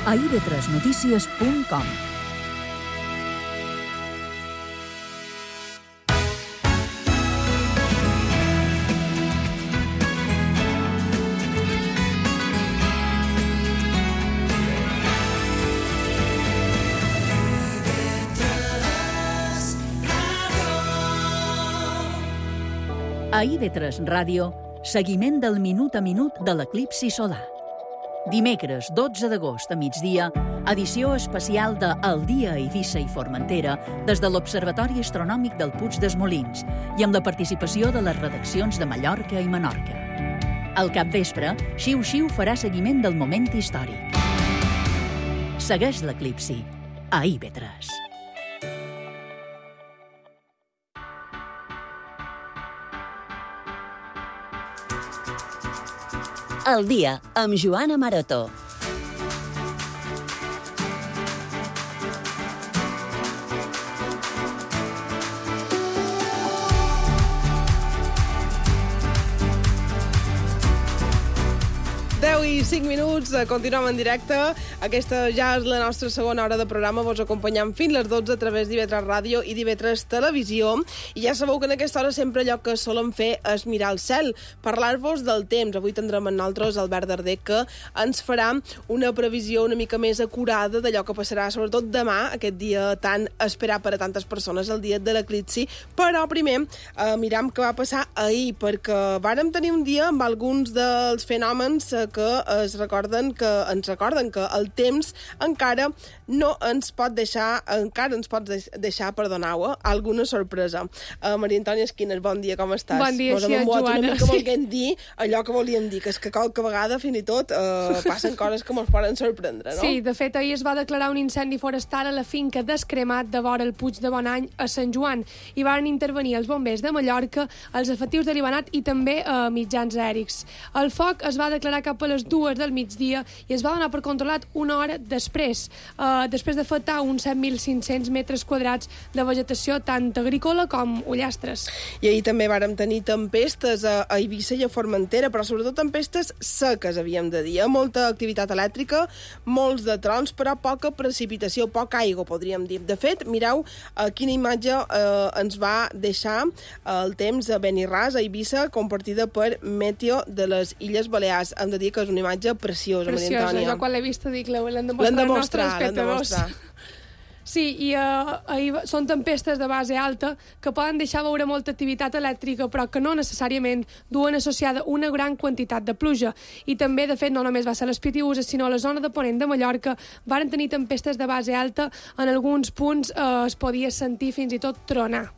a ib3notícies.com. A IB3 Ràdio, seguiment del minut a minut de l'eclipsi solar. Dimecres 12 d'agost a migdia, edició especial de El dia a Eivissa i Formentera des de l'Observatori Astronòmic del Puig dels Molins i amb la participació de les redaccions de Mallorca i Menorca. Al capvespre, Xiu Xiu farà seguiment del moment històric. Segueix l'eclipsi a IB3. El dia, amb Joana Maroto. I 5 minuts, continuem en directe. Aquesta ja és la nostra segona hora de programa. Vos acompanyam fins les 12 a través d'IB3 Ràdio i d'IB3 Televisió. I ja sabeu que en aquesta hora sempre allò que solem fer és mirar el cel, parlar-vos del temps. Avui tindrem amb nosaltres Albert Darder, que ens farà una previsió una mica més acurada d'allò que passarà, sobretot demà, aquest dia tan esperat per a tantes persones, el dia de l'eclipsi. Però primer miram què va passar ahir, perquè vàrem tenir un dia amb alguns dels fenòmens que ens recorden que el temps encara no ens pot deixar, perdoneu, alguna sorpresa. Maria Antònia Esquines, bon dia, com estàs? Bon dia, sí, Joana. Una mica volguem dir allò que volíem dir, que és que qualque vegada, fins i tot, passen coses que ens poden sorprendre, no? Sí, de fet, ahir es va declarar un incendi forestal a la finca d'Escremat de vora el Puig de Bonany a Sant Joan. Hi van intervenir els bombers de Mallorca, els efectius de l'Ibanat i també mitjans aèrics. El foc es va declarar cap a les 2 del migdia i es va donar per controlat una hora després d'afectar uns 7.500 metres quadrats de vegetació tant agrícola com ullastres. I ahir també vàrem tenir tempestes a Eivissa i a Formentera, però sobretot tempestes seques, havíem de dir. Molta activitat elèctrica, molts de trons, però poca precipitació, poca aigua, podríem dir. De fet, mireu quina imatge ens va deixar el temps a Benirràs, a Eivissa, compartida per Meteo de les Illes Balears. Hem de dir que és una imatge preciosa, Maria Antònia. Jo quan l'he vista dic, l'hem de mostrar als nostres espectadors. Sí, i són tempestes de base alta que poden deixar veure molta activitat elèctrica, però que no necessàriament duen associada una gran quantitat de pluja. I també, de fet, no només va ser les Pitiüses, sinó a la zona de Ponent de Mallorca varen tenir tempestes de base alta. En alguns punts es podia sentir fins i tot tronar.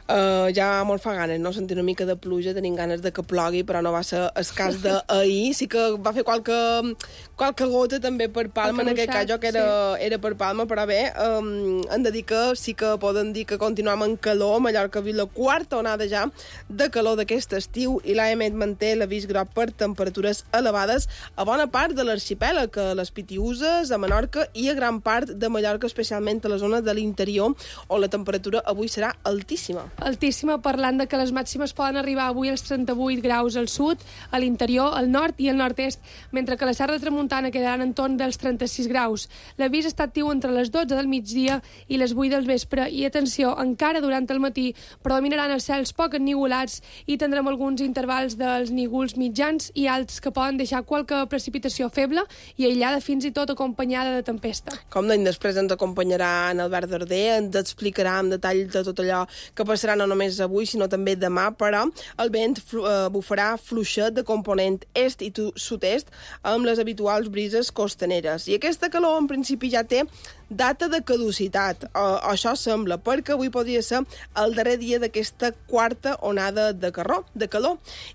Ja molt fa ganes, no? Sentir una mica de pluja, tenim ganes de que plogui, però no va ser el cas d'ahir. Sí que va fer qualque gota també per Palma, en aquest cas jo que era per Palma, però bé, hem de dir que sí que poden dir que continuem en calor. Mallorca ha vist la quarta onada ja de calor d'aquest estiu i l'AEMET manté l'avís groc per temperatures elevades a bona part de l'arxipèlag, a les Pitiüses, a Menorca i a gran part de Mallorca, especialment a la zona de l'interior, on la temperatura avui serà altíssima. Altíssima, parlant de que les màximes poden arribar avui als 38 graus al sud, a l'interior, al nord i al nord-est, mentre que la Serra de Tramuntana quedaran en torn dels 36 graus. L'avís està actiu entre les 12 del migdia i les 8 del vespre i, atenció, encara durant el matí predominaran els cels poc ennigolats i tindrem alguns intervals dels nígols mitjans i alts que poden deixar qualque precipitació feble i aïllada, fins i tot acompanyada de tempesta. Com d'any després ens acompanyarà en Albert Darder, ens explicarà en detall de tot allò que passarà no només avui, sinó també demà, però el vent bufarà fluixet de component est i sud-est amb les habituals brises costaneres. I aquesta calor, en principi, ja té data de caducitat. Això sembla, perquè avui podria ser el darrer dia d'aquesta quarta onada de calor.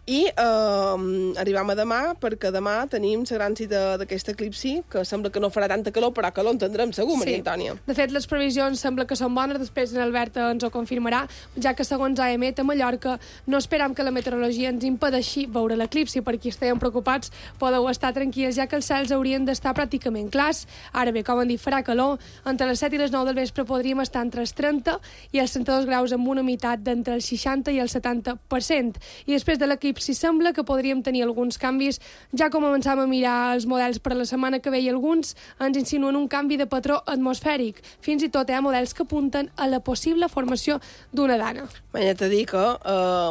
I arribem a demà, perquè demà tenim la gran cita d'aquest eclipsi, que sembla que no farà tanta calor, però calor en tindrem segur, Maria Antònia. De fet, les previsions sembla que són bones, després en Albert ens ho confirmarà. ja que segons AEMET a Mallorca no esperam que la meteorologia ens impedeixi veure l'eclipsi. Per qui estiguem preocupats podeu estar tranquils, ja que els cels haurien d'estar pràcticament clars. Ara bé, com han dit, farà calor. Entre les 7 i les 9 del vespre podríem estar entre els 30 i els 32 graus amb una humitat d'entre el 60 i el 70%. I després de l'eclipsi sembla que podríem tenir alguns canvis, ja com començam a mirar els models per a la setmana que ve i alguns ens insinuen un canvi de patró atmosfèric. Fins i tot hi ha models que apunten a la possible formació d'una dana. Ja t'he dit que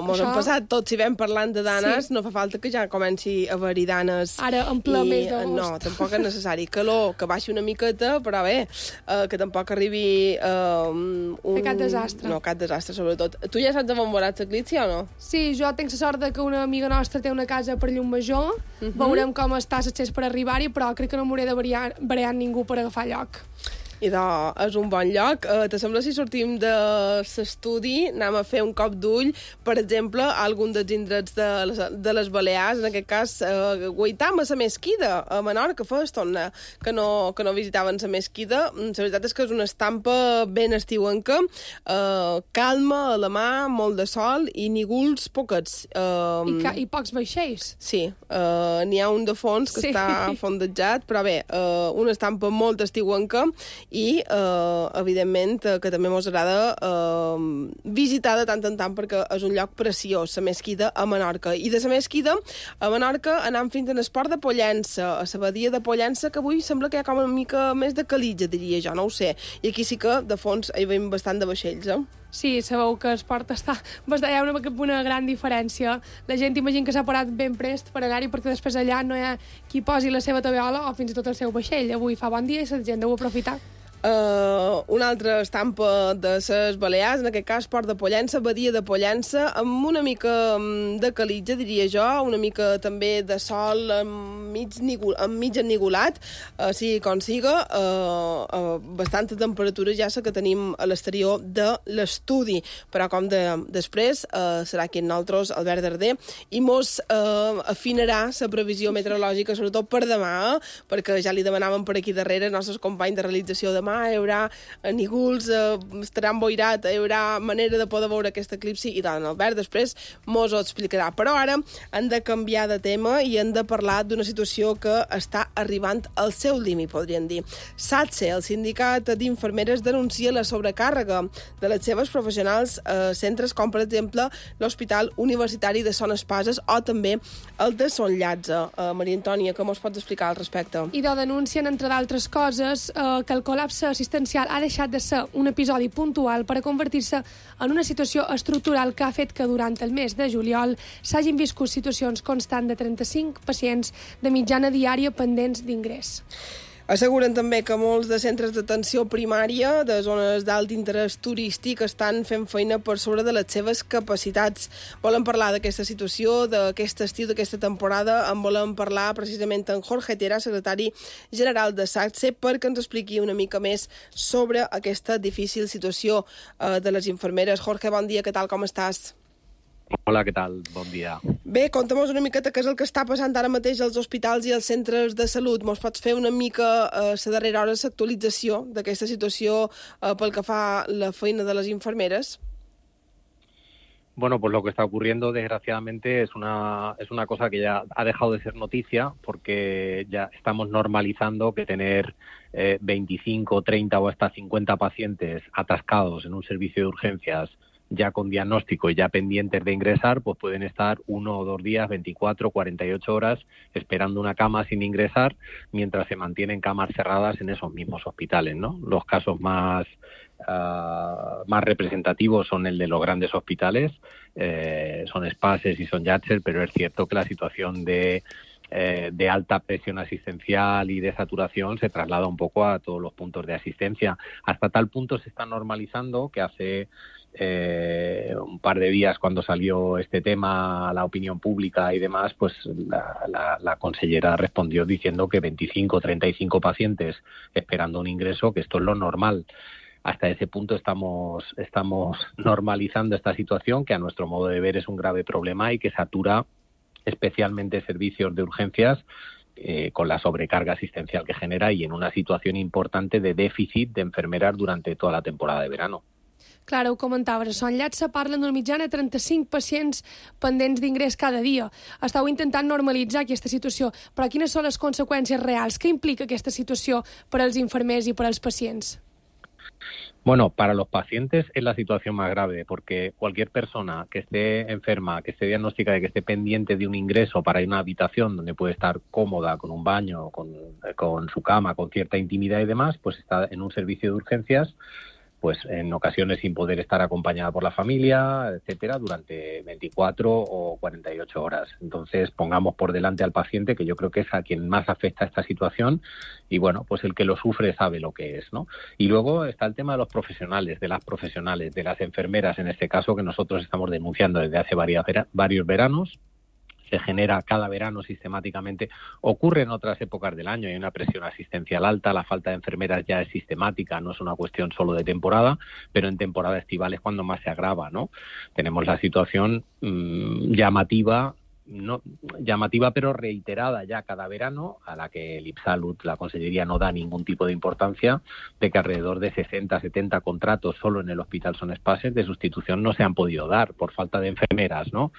mos hem passat tots si vam parlant de danes, no fa falta que ja comenci a haver-hi danes. Ara, en ple mes d'agost. No, tampoc és necessari. Calor, que baixi una miqueta, però bé, que tampoc arribi fer cap desastre. No, cap desastre, sobretot. Tu ja saps on veuràs l'eclipsi o no? Sí, jo tinc la sort que una amiga nostra té una casa per Llumajor. Veurem com està l'accés per arribar-hi, però crec que no m'hauré de variar ningú per agafar lloc. I és un bon lloc. Te sembla si sortim de l'estudi, anem a fer un cop d'ull, per exemple, a algun dels indrets de les Balears, en aquest cas, guaitam a la Mesquida, a Menorca, fa estona que no visitaven la Mesquida. La veritat és que és una estampa ben estiuenca, calma a la mà, molt de sol i nígols poquets. I pocs vaixells. Sí, n'hi ha un de fons que està fondejat, però bé, una estampa molt estiuenca i, evidentment, que també ens agrada visitar de tant en tant perquè és un lloc preciós, la Mesquida a Menorca. I de la Mesquida a Menorca anem fins a l'esport de Pollença, a la badia de Pollença, que avui sembla que hi ha com una mica més de calitja, diria jo, no ho sé. I aquí sí que, de fons, hi veiem bastant de vaixells, Sí, sabeu que l'esport està... Hi ha una gran diferència. La gent imagina que s'ha parat ben prest per anar-hi perquè després allà no hi ha qui posi la seva tabiola o fins i tot el seu vaixell. Avui fa bon dia i la gent deu aprofitar. Una altra estampa de les Balears, en aquest cas Port de Pollença, badia de Pollença, amb una mica de calitja, diria jo, una mica també de sol mig ennigolat, sigui com siga, bastanta temperatura ja que tenim a l'exterior de l'estudi, però com després serà aquí en nosaltres, Albert Darder, i mos afinarà la previsió meteorològica, sobretot per demà, perquè ja li demanàvem per aquí darrere els nostres companys de realització demà, hi haurà nígols, estarà emboirat, hi haurà manera de poder veure aquest eclipsi i tant. Albert després mos ho explicarà. Però ara hem de canviar de tema i hem de parlar d'una situació que està arribant al seu límit, podríem dir. SATSE, el sindicat d'infermeres, denuncia la sobrecàrrega de les seves professionals a centres com, per exemple, l'Hospital Universitari de Son Espases o també el de Son Llatze. Maria Antònia, què mos pots explicar al respecte? I denuncien, entre d'altres coses, que el col·lapse assistencial ha deixat de ser un episodi puntual per a convertir-se en una situació estructural que ha fet que durant el mes de juliol s'hagin viscut situacions constants de 35 pacients de mitjana diària pendents d'ingrés. Asseguren també que molts de centres d'atenció primària de zones d'alt interès turístic estan fent feina per sobre de les seves capacitats. Volem parlar d'aquesta situació, d'aquest estiu, d'aquesta temporada. En volem parlar precisament amb Jorge Tera, secretari general de SATSE, perquè ens expliqui una mica més sobre aquesta difícil situació de les infermeres. Jorge, bon dia, què tal, com estàs? Hola, què tal? Bon dia. Bé, conta'm una miqueta què és el que està passant ara mateix als hospitals i als centres de salut. Mos pots fer una mica la darrera hora l'actualització d'aquesta situació pel que fa la feina de les infermeres? Bueno, pues lo que está ocurriendo, desgraciadamente, es una cosa que ya ha dejado de ser noticia, porque ya estamos normalizando que tener 25, 30 o hasta 50 pacientes atascados en un servicio de urgencias ya con diagnóstico y ya pendientes de ingresar, pues pueden estar 1 o 2 días, 24, 48 horas esperando una cama sin ingresar, mientras se mantienen camas cerradas en esos mismos hospitales, ¿no? Los casos más representativos son el de los grandes hospitales, son Espases y son Llàtzer, pero es cierto que la situación de alta presión asistencial y de saturación se traslada un poco a todos los puntos de asistencia. Hasta tal punto se está normalizando que hace un par de días, cuando salió este tema a la opinión pública y demás, pues la consellera respondió diciendo que 25 o 35 pacientes esperando un ingreso, que esto es lo normal. Hasta ese punto estamos normalizando esta situación, que a nuestro modo de ver es un grave problema y que satura especialmente servicios de urgencias con la sobrecarga asistencial que genera y en una situación importante de déficit de enfermeras durante toda la temporada de verano. Clar, ho comentaves, a Son Llatça parlen d'una mitjana de 35 pacients pendents d'ingrés cada dia. Estàu intentant normalitzar aquesta situació, però quines són les conseqüències reals? Què implica aquesta situació per als infermers i per als pacients? Bueno, para los pacientes es la situación más grave, porque cualquier persona que esté enferma, que esté diagnosticada y que esté pendiente de un ingreso para ir a una habitación donde puede estar cómoda, con un baño, con su cama, con cierta intimidad y demás, pues está en un servicio de urgencias, pues en ocasiones sin poder estar acompañada por la familia, etcétera, durante 24 o 48 horas. Entonces, pongamos por delante al paciente, que yo creo que es a quien más afecta esta situación, y bueno, pues el que lo sufre sabe lo que es, ¿no? Y luego está el tema de los profesionales, de las profesionales, de las enfermeras, en este caso, que nosotros estamos denunciando desde hace varios veranos. Se genera cada verano sistemáticamente, ocurre en otras épocas del año, hay una presión asistencial alta, la falta de enfermeras ya es sistemática, no es una cuestión solo de temporada, pero en temporada estival es cuando más se agrava, ¿no? Tenemos la situación llamativa pero reiterada ya cada verano, a la que el IPSALUD, la Consellería, no da ningún tipo de importancia, de que alrededor de 60, 70 contratos solo en el Hospital Son Espases de sustitución no se han podido dar por falta de enfermeras, ¿no?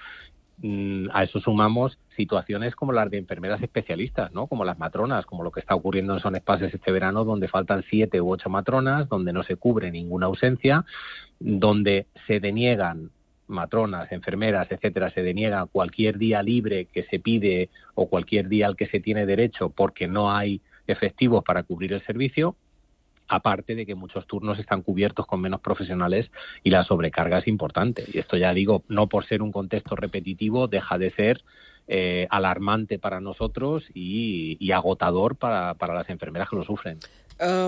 A eso sumamos situaciones como las de enfermeras especialistas, ¿no? Como las matronas, como lo que está ocurriendo en Son Espases este verano, donde faltan 7 u 8 matronas, donde no se cubre ninguna ausencia, donde se deniegan matronas, enfermeras, etcétera, se deniega cualquier día libre que se pide o cualquier día al que se tiene derecho porque no hay efectivos para cubrir el servicio. Aparte de que muchos turnos están cubiertos con menos profesionales y la sobrecarga es importante. Y esto, ya digo, no por ser un contexto repetitivo, deja de ser alarmante para nosotros y agotador para las enfermeras que lo sufren.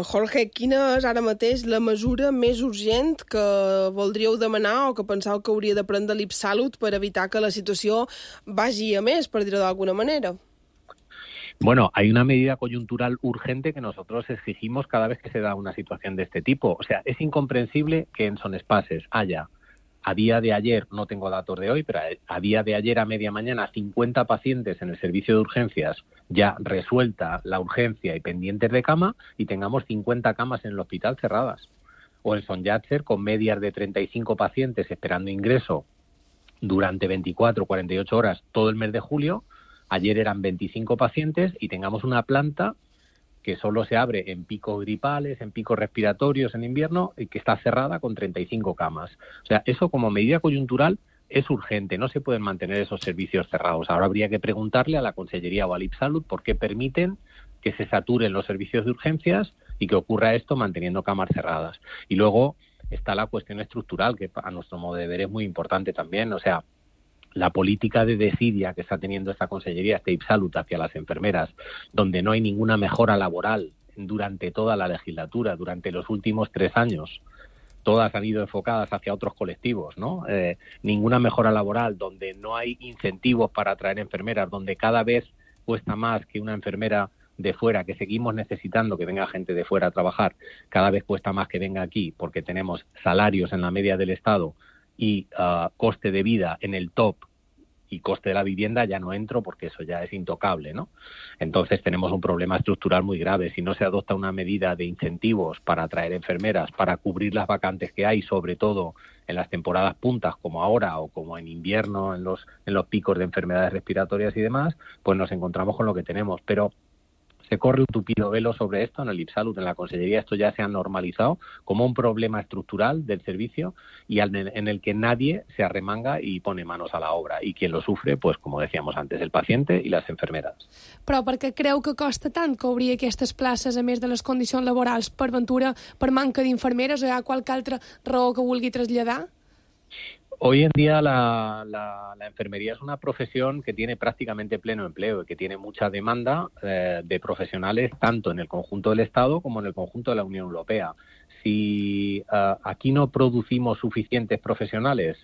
Jorge, quina és ara mateix la mesura més urgent que voldríeu demanar o que penseu que hauria de prendre l'IPSALUD per evitar que la situació vagi a més, per dir-ho d'alguna manera? Bueno, hay una medida coyuntural urgente que nosotros exigimos cada vez que se da una situación de este tipo. O sea, es incomprensible que en Son Espases haya, a día de ayer, no tengo datos de hoy, pero a día de ayer a media mañana, 50 pacientes en el servicio de urgencias, ya resuelta la urgencia y pendientes de cama, y tengamos 50 camas en el hospital cerradas. O en Son Llàtzer, con medias de 35 pacientes esperando ingreso durante 24 o 48 horas todo el mes de julio. Ayer eran 25 pacientes y tengamos una planta que solo se abre en picos gripales, en picos respiratorios en invierno y que está cerrada con 35 camas. O sea, eso como medida coyuntural es urgente, no se pueden mantener esos servicios cerrados. Ahora habría que preguntarle a la Consellería o al IPSALUD por qué permiten que se saturen los servicios de urgencias y que ocurra esto manteniendo camas cerradas. Y luego está la cuestión estructural, que a nuestro modo de ver es muy importante también, o sea, la política de desidia que está teniendo esta Consellería, este IPSALUD, hacia las enfermeras, donde no hay ninguna mejora laboral durante toda la legislatura, durante los últimos 3 años, todas han ido enfocadas hacia otros colectivos, ¿no? Ninguna mejora laboral, donde no hay incentivos para atraer enfermeras, donde cada vez cuesta más que una enfermera de fuera, que seguimos necesitando que venga gente de fuera a trabajar, cada vez cuesta más que venga aquí, porque tenemos salarios en la media del Estado y coste de vida en el top, y coste de la vivienda ya no entro porque eso ya es intocable, ¿no? Entonces tenemos un problema estructural muy grave. Si no se adopta una medida de incentivos para atraer enfermeras, para cubrir las vacantes que hay, sobre todo en las temporadas puntas como ahora o como en invierno, en los picos de enfermedades respiratorias y demás, pues nos encontramos con lo que tenemos. Pero se corre un tupido velo sobre esto en el IPSALUD, en la Consellería. Esto ya se ha normalizado como un problema estructural del servicio y en el que nadie se arremanga y pone manos a la obra. Y quien lo sufre, pues como decíamos antes, el paciente y las enfermeras. Però per què creu que costa tant cobrir aquestes places, a més de les condicions laborals? Per ventura, per manca d'infermeres, o hi ha qualque altra raó que vulgui traslladar? Hoy en día la enfermería es una profesión que tiene prácticamente pleno empleo y que tiene mucha demanda de profesionales tanto en el conjunto del Estado como en el conjunto de la Unión Europea. Si aquí no producimos suficientes profesionales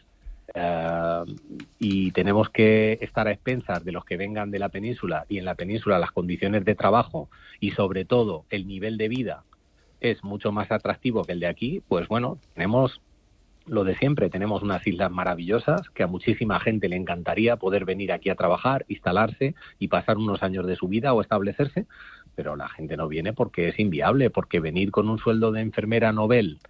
y tenemos que estar a expensas de los que vengan de la península, y en la península las condiciones de trabajo y sobre todo el nivel de vida es mucho más atractivo que el de aquí, pues bueno, tenemos lo de siempre, tenemos unas islas maravillosas que a muchísima gente le encantaría poder venir aquí a trabajar, instalarse y pasar unos años de su vida o establecerse, pero la gente no viene porque es inviable, porque venir con un sueldo de enfermera novel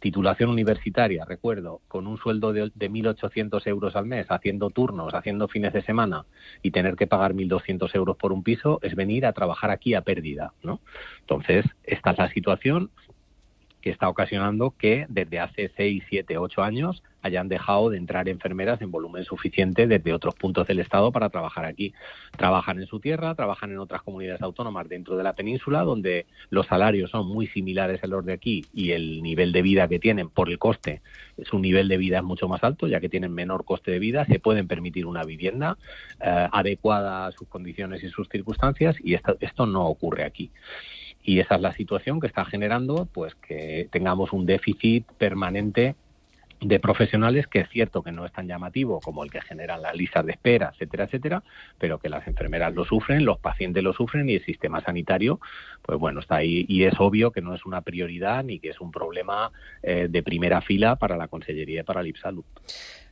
titulación universitaria, recuerdo, con un sueldo de 1.800 euros al mes, haciendo turnos, haciendo fines de semana y tener que pagar 1.200 euros por un piso, es venir a trabajar aquí a pérdida, ¿no? Entonces, esta es la situación que está ocasionando que desde hace 6, 7, 8 años hayan dejado de entrar enfermeras en volumen suficiente desde otros puntos del Estado para trabajar aquí. Trabajan en su tierra, trabajan en otras comunidades autónomas dentro de la península, donde los salarios son muy similares a los de aquí y el nivel de vida que tienen por el coste, su nivel de vida es mucho más alto, ya que tienen menor coste de vida, se pueden permitir una vivienda adecuada a sus condiciones y sus circunstancias, y esto no ocurre aquí. Y esa es la situación que está generando pues que tengamos un déficit permanente de profesionales, que es cierto que no es tan llamativo como el que generan las listas de espera, etcétera, etcétera, pero que las enfermeras lo sufren, los pacientes lo sufren y el sistema sanitario, pues bueno, está ahí, y es obvio que no es una prioridad ni que es un problema de primera fila para la Conselleria i per a l'IPSalut.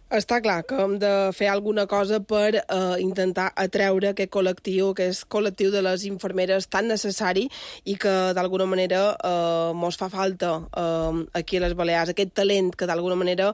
Està clar que hem de fer alguna cosa per intentar atreure aquest col·lectiu de les infermeres tan necessari i que d'alguna manera mos fa falta aquí a les Balears, aquest talent que d'alguna manera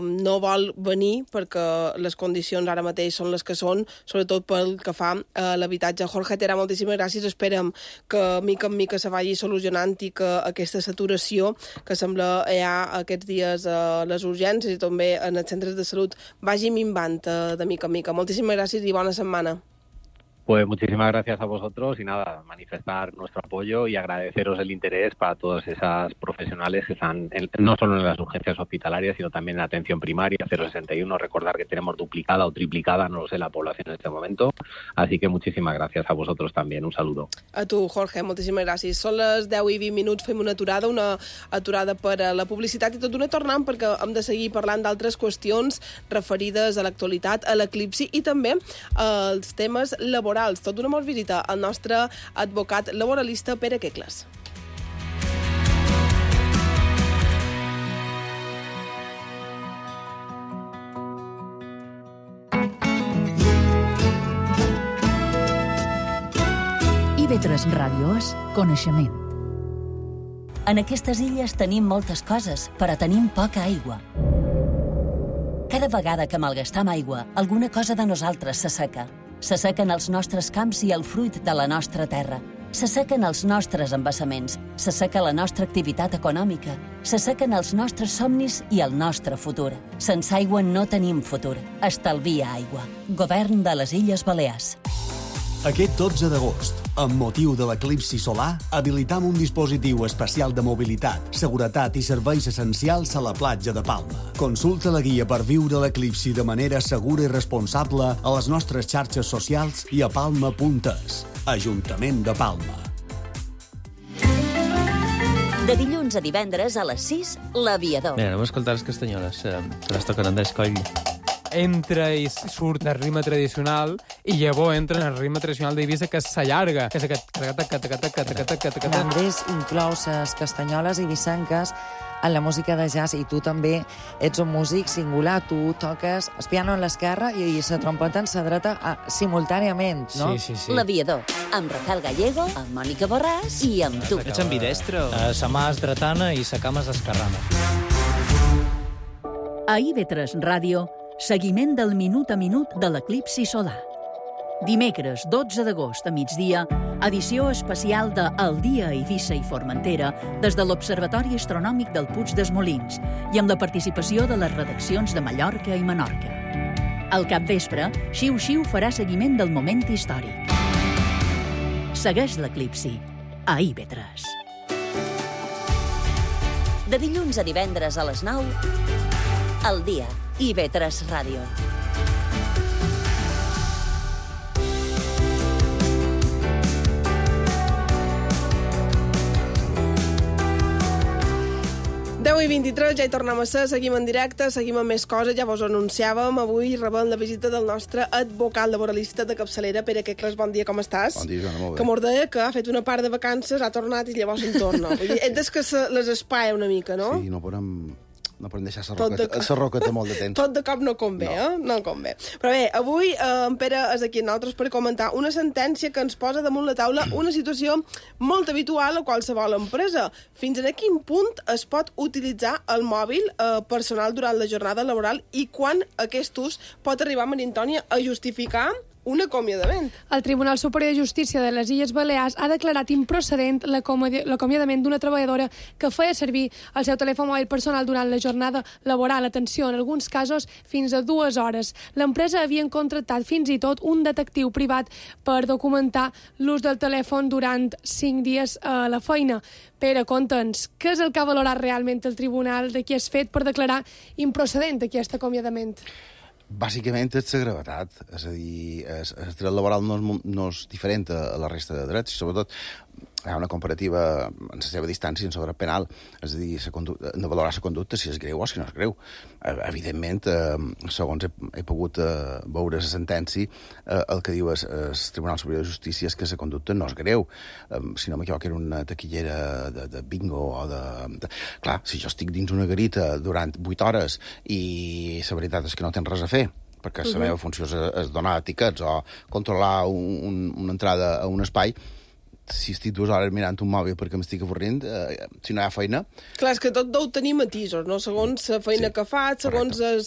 no vol venir perquè les condicions ara mateix són les que són, sobretot pel que fa a l'habitatge. Jorge Terà, moltíssimes gràcies. Esperem que mica en mica se vagi solucionant i que aquesta saturació que sembla hi ha aquests dies a les urgències i també en els centres de salut vagi minvant de mica en mica. Moltíssimes gràcies i bona setmana. Pues muchísimas gracias a vosotros y nada, manifestar nuestro apoyo y agradeceros el interés para todas esas profesionales que están no solo en las urgencias hospitalarias, sino también en la atención primaria, 061. Recordar que tenemos duplicada o triplicada, no lo sé, la población en este momento. Así que muchísimas gracias a vosotros también. Un saludo. A tu, Jorge, moltíssimes gràcies. Són les 10:20, fem una aturada per a la publicitat i tot d'una tornant perquè hem de seguir parlant d'altres qüestions referides a l'actualitat, a l'eclipsi i també als temes laborals. Tot d'una mos visita el nostre advocat laboralista Pere Quecles. IB3 Ràdio és coneixement. En aquestes illes tenim moltes coses, però tenim poca aigua. Cada vegada que malgastam aigua, alguna cosa de nosaltres s'asseca. S'assequen els nostres camps i el fruit de la nostra terra. S'assequen els nostres embassaments. S'asseca la nostra activitat econòmica. S'assequen els nostres somnis i el nostre futur. Sense aigua no tenim futur. Estalvia aigua. Govern de les Illes Balears. Aquest 12 d'agost, amb motiu de l'eclipsi solar, habilitam un dispositiu especial de mobilitat, seguretat i serveis essencials a la platja de Palma. Consulta la guia per viure l'eclipsi de manera segura i responsable a les nostres xarxes socials i a palma.es. Ajuntament de Palma. De dilluns a divendres a les 6, l'Aviador. Mira, anem a escoltar les castanyoles, que les toquen Andrés Coll. Entra i surt el ritme tradicional i llavors entra en el ritme tradicional d'Eivissa, que s'allarga. Que és aquest... Andrés inclou les castanyoles eivissenques en la música de jazz i tu també ets un músic singular. Tu toques el piano en l'esquerra i la trompeta en la dreta simultàniament, no? Sí. L'Aviador, amb Rafael Gallego, amb Mònica Borràs i amb tu. Ets ambidestro. Sa mà és dretana i sa cama és esquerrana. A IB3 Ràdio, seguiment del minut a minut de l'eclipsi solar. Dimecres 12 d'agost a migdia, edició especial de El dia a Eivissa i Formentera des de l'Observatori Astronòmic del Puig dels Molins i amb la participació de les redaccions de Mallorca i Menorca. Al capvespre, Xiu Xiu farà seguiment del moment històric. Segueix l'eclipsi a IB3. De dilluns a divendres a les 9, El dia, IB3 Ràdio. I 23, ja hi tornem a ser, seguim en directe, seguim amb més coses, ja vos ho anunciàvem, avui rebem la visita del nostre advocat laboralista de capçalera, Pere Quecles. Bon dia, com estàs? Bon dia, Joana, molt bé. Que mos deia que ha fet una part de vacances, ha tornat i llavors en torna. Vull dir, és que se les espaia una mica, no? Sí, no podem no podem deixar la roqueta molt de temps. Tot de cop no convé, No convé. Però bé, avui en Pere és aquí amb nosaltres per comentar una sentència que ens posa damunt la taula una situació molt habitual a qualsevol empresa. Fins a quin punt es pot utilitzar el mòbil personal durant la jornada laboral i quan aquest ús pot arribar, Maria Antònia, a justificar un acomiadament. El Tribunal Superior de Justícia de les Illes Balears ha declarat improcedent l'acomiadament d'una treballadora que feia servir el seu telèfon mòbil personal durant la jornada laboral. Atenció, en alguns casos fins a 2 hores. L'empresa havia contractat fins i tot un detectiu privat per documentar l'ús del telèfon durant 5 dies a la feina. Pere, conta'ns, què és el que ha valorat realment el tribunal de qui és fet per declarar improcedent aquest acomiadament? Bàsicament és la gravetat, és a dir, el dret laboral no és diferent a la resta de drets, i sobretot hi ha una comparativa en la seva distància en sobre penal, és a dir, de valorar la conducta si és greu o si no és greu. Evidentment, segons he pogut veure la sentència, el que diu el Tribunal Superior de Justícia és que la conducta no és greu. Si no m'equivoco, era una taquillera de bingo o de... Clar, si jo estic dins una garita durant 8 hores i la veritat és que no tens res a fer, perquè la meva funció és donar tiquets o controlar una entrada a un espai, si estic 2 hores mirant un mòbil perquè m'estic avorrint, si no hi ha feina... Clar, és que tot deu tenir matisos, no? Segons la feina que fas, segons el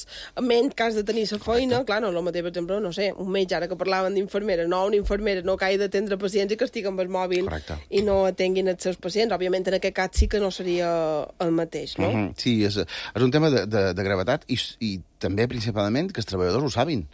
ment que has de tenir la feina... Clar, no, el mateix, per exemple, no sé, un metge, ara que parlaven d'infermera, no, una infermera no que hagi d'atendre pacients i que estigui amb el mòbil i no atenguin els seus pacients. Òbviament, en aquest cas sí que no seria el mateix, no? Sí, és un tema de gravetat i també, principalment, que els treballadors ho sabin.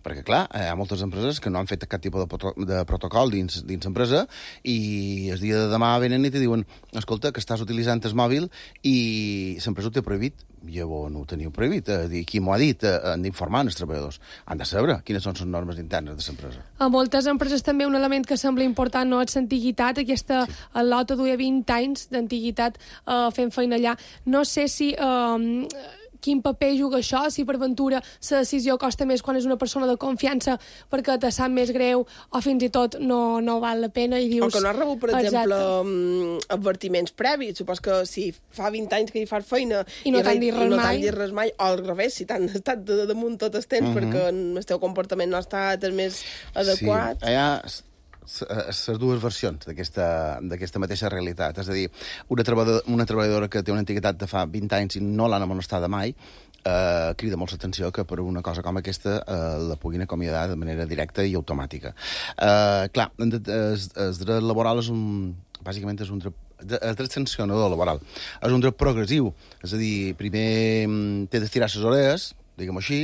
Perquè, clar, hi ha moltes empreses que no han fet cap tipus de protocol dins l'empresa i el dia de demà venen i te diuen escolta, que estàs utilitzant el mòbil i l'empresa ho té prohibit. Llavors no ho teniu prohibit. Qui m'ho ha dit? Han d'informar els treballadors. Han de saber quines són les normes internes de l'empresa. A moltes empreses també un element que sembla important no és l'antiguitat. Aquesta Lota duia 20 anys d'antiguitat fent feina allà. No sé si... quin paper juga això, si per ventura la decisió costa més quan és una persona de confiança perquè te sap més greu o fins i tot no val la pena i dius... O que no has rebut, per exemple, advertiments previs. Supos que si fa 20 anys que hi fas feina i no t'han dit res mai, o al revés, si t'han estat damunt tot el temps perquè el teu comportament no ha estat el més adequat... Sí, hi ha les dues versions d'aquesta mateixa realitat. És a dir, una treballadora que té una antiguitat de fa 20 anys i no l'han amonestada mai, crida molt l'atenció que per una cosa com aquesta la puguin acomiadar de manera directa i automàtica. Clar, el dret laboral bàsicament és un dret... El dret sancionador laboral és un dret progressiu. És a dir, primer té d'estirar les orelles, diguem-ho així,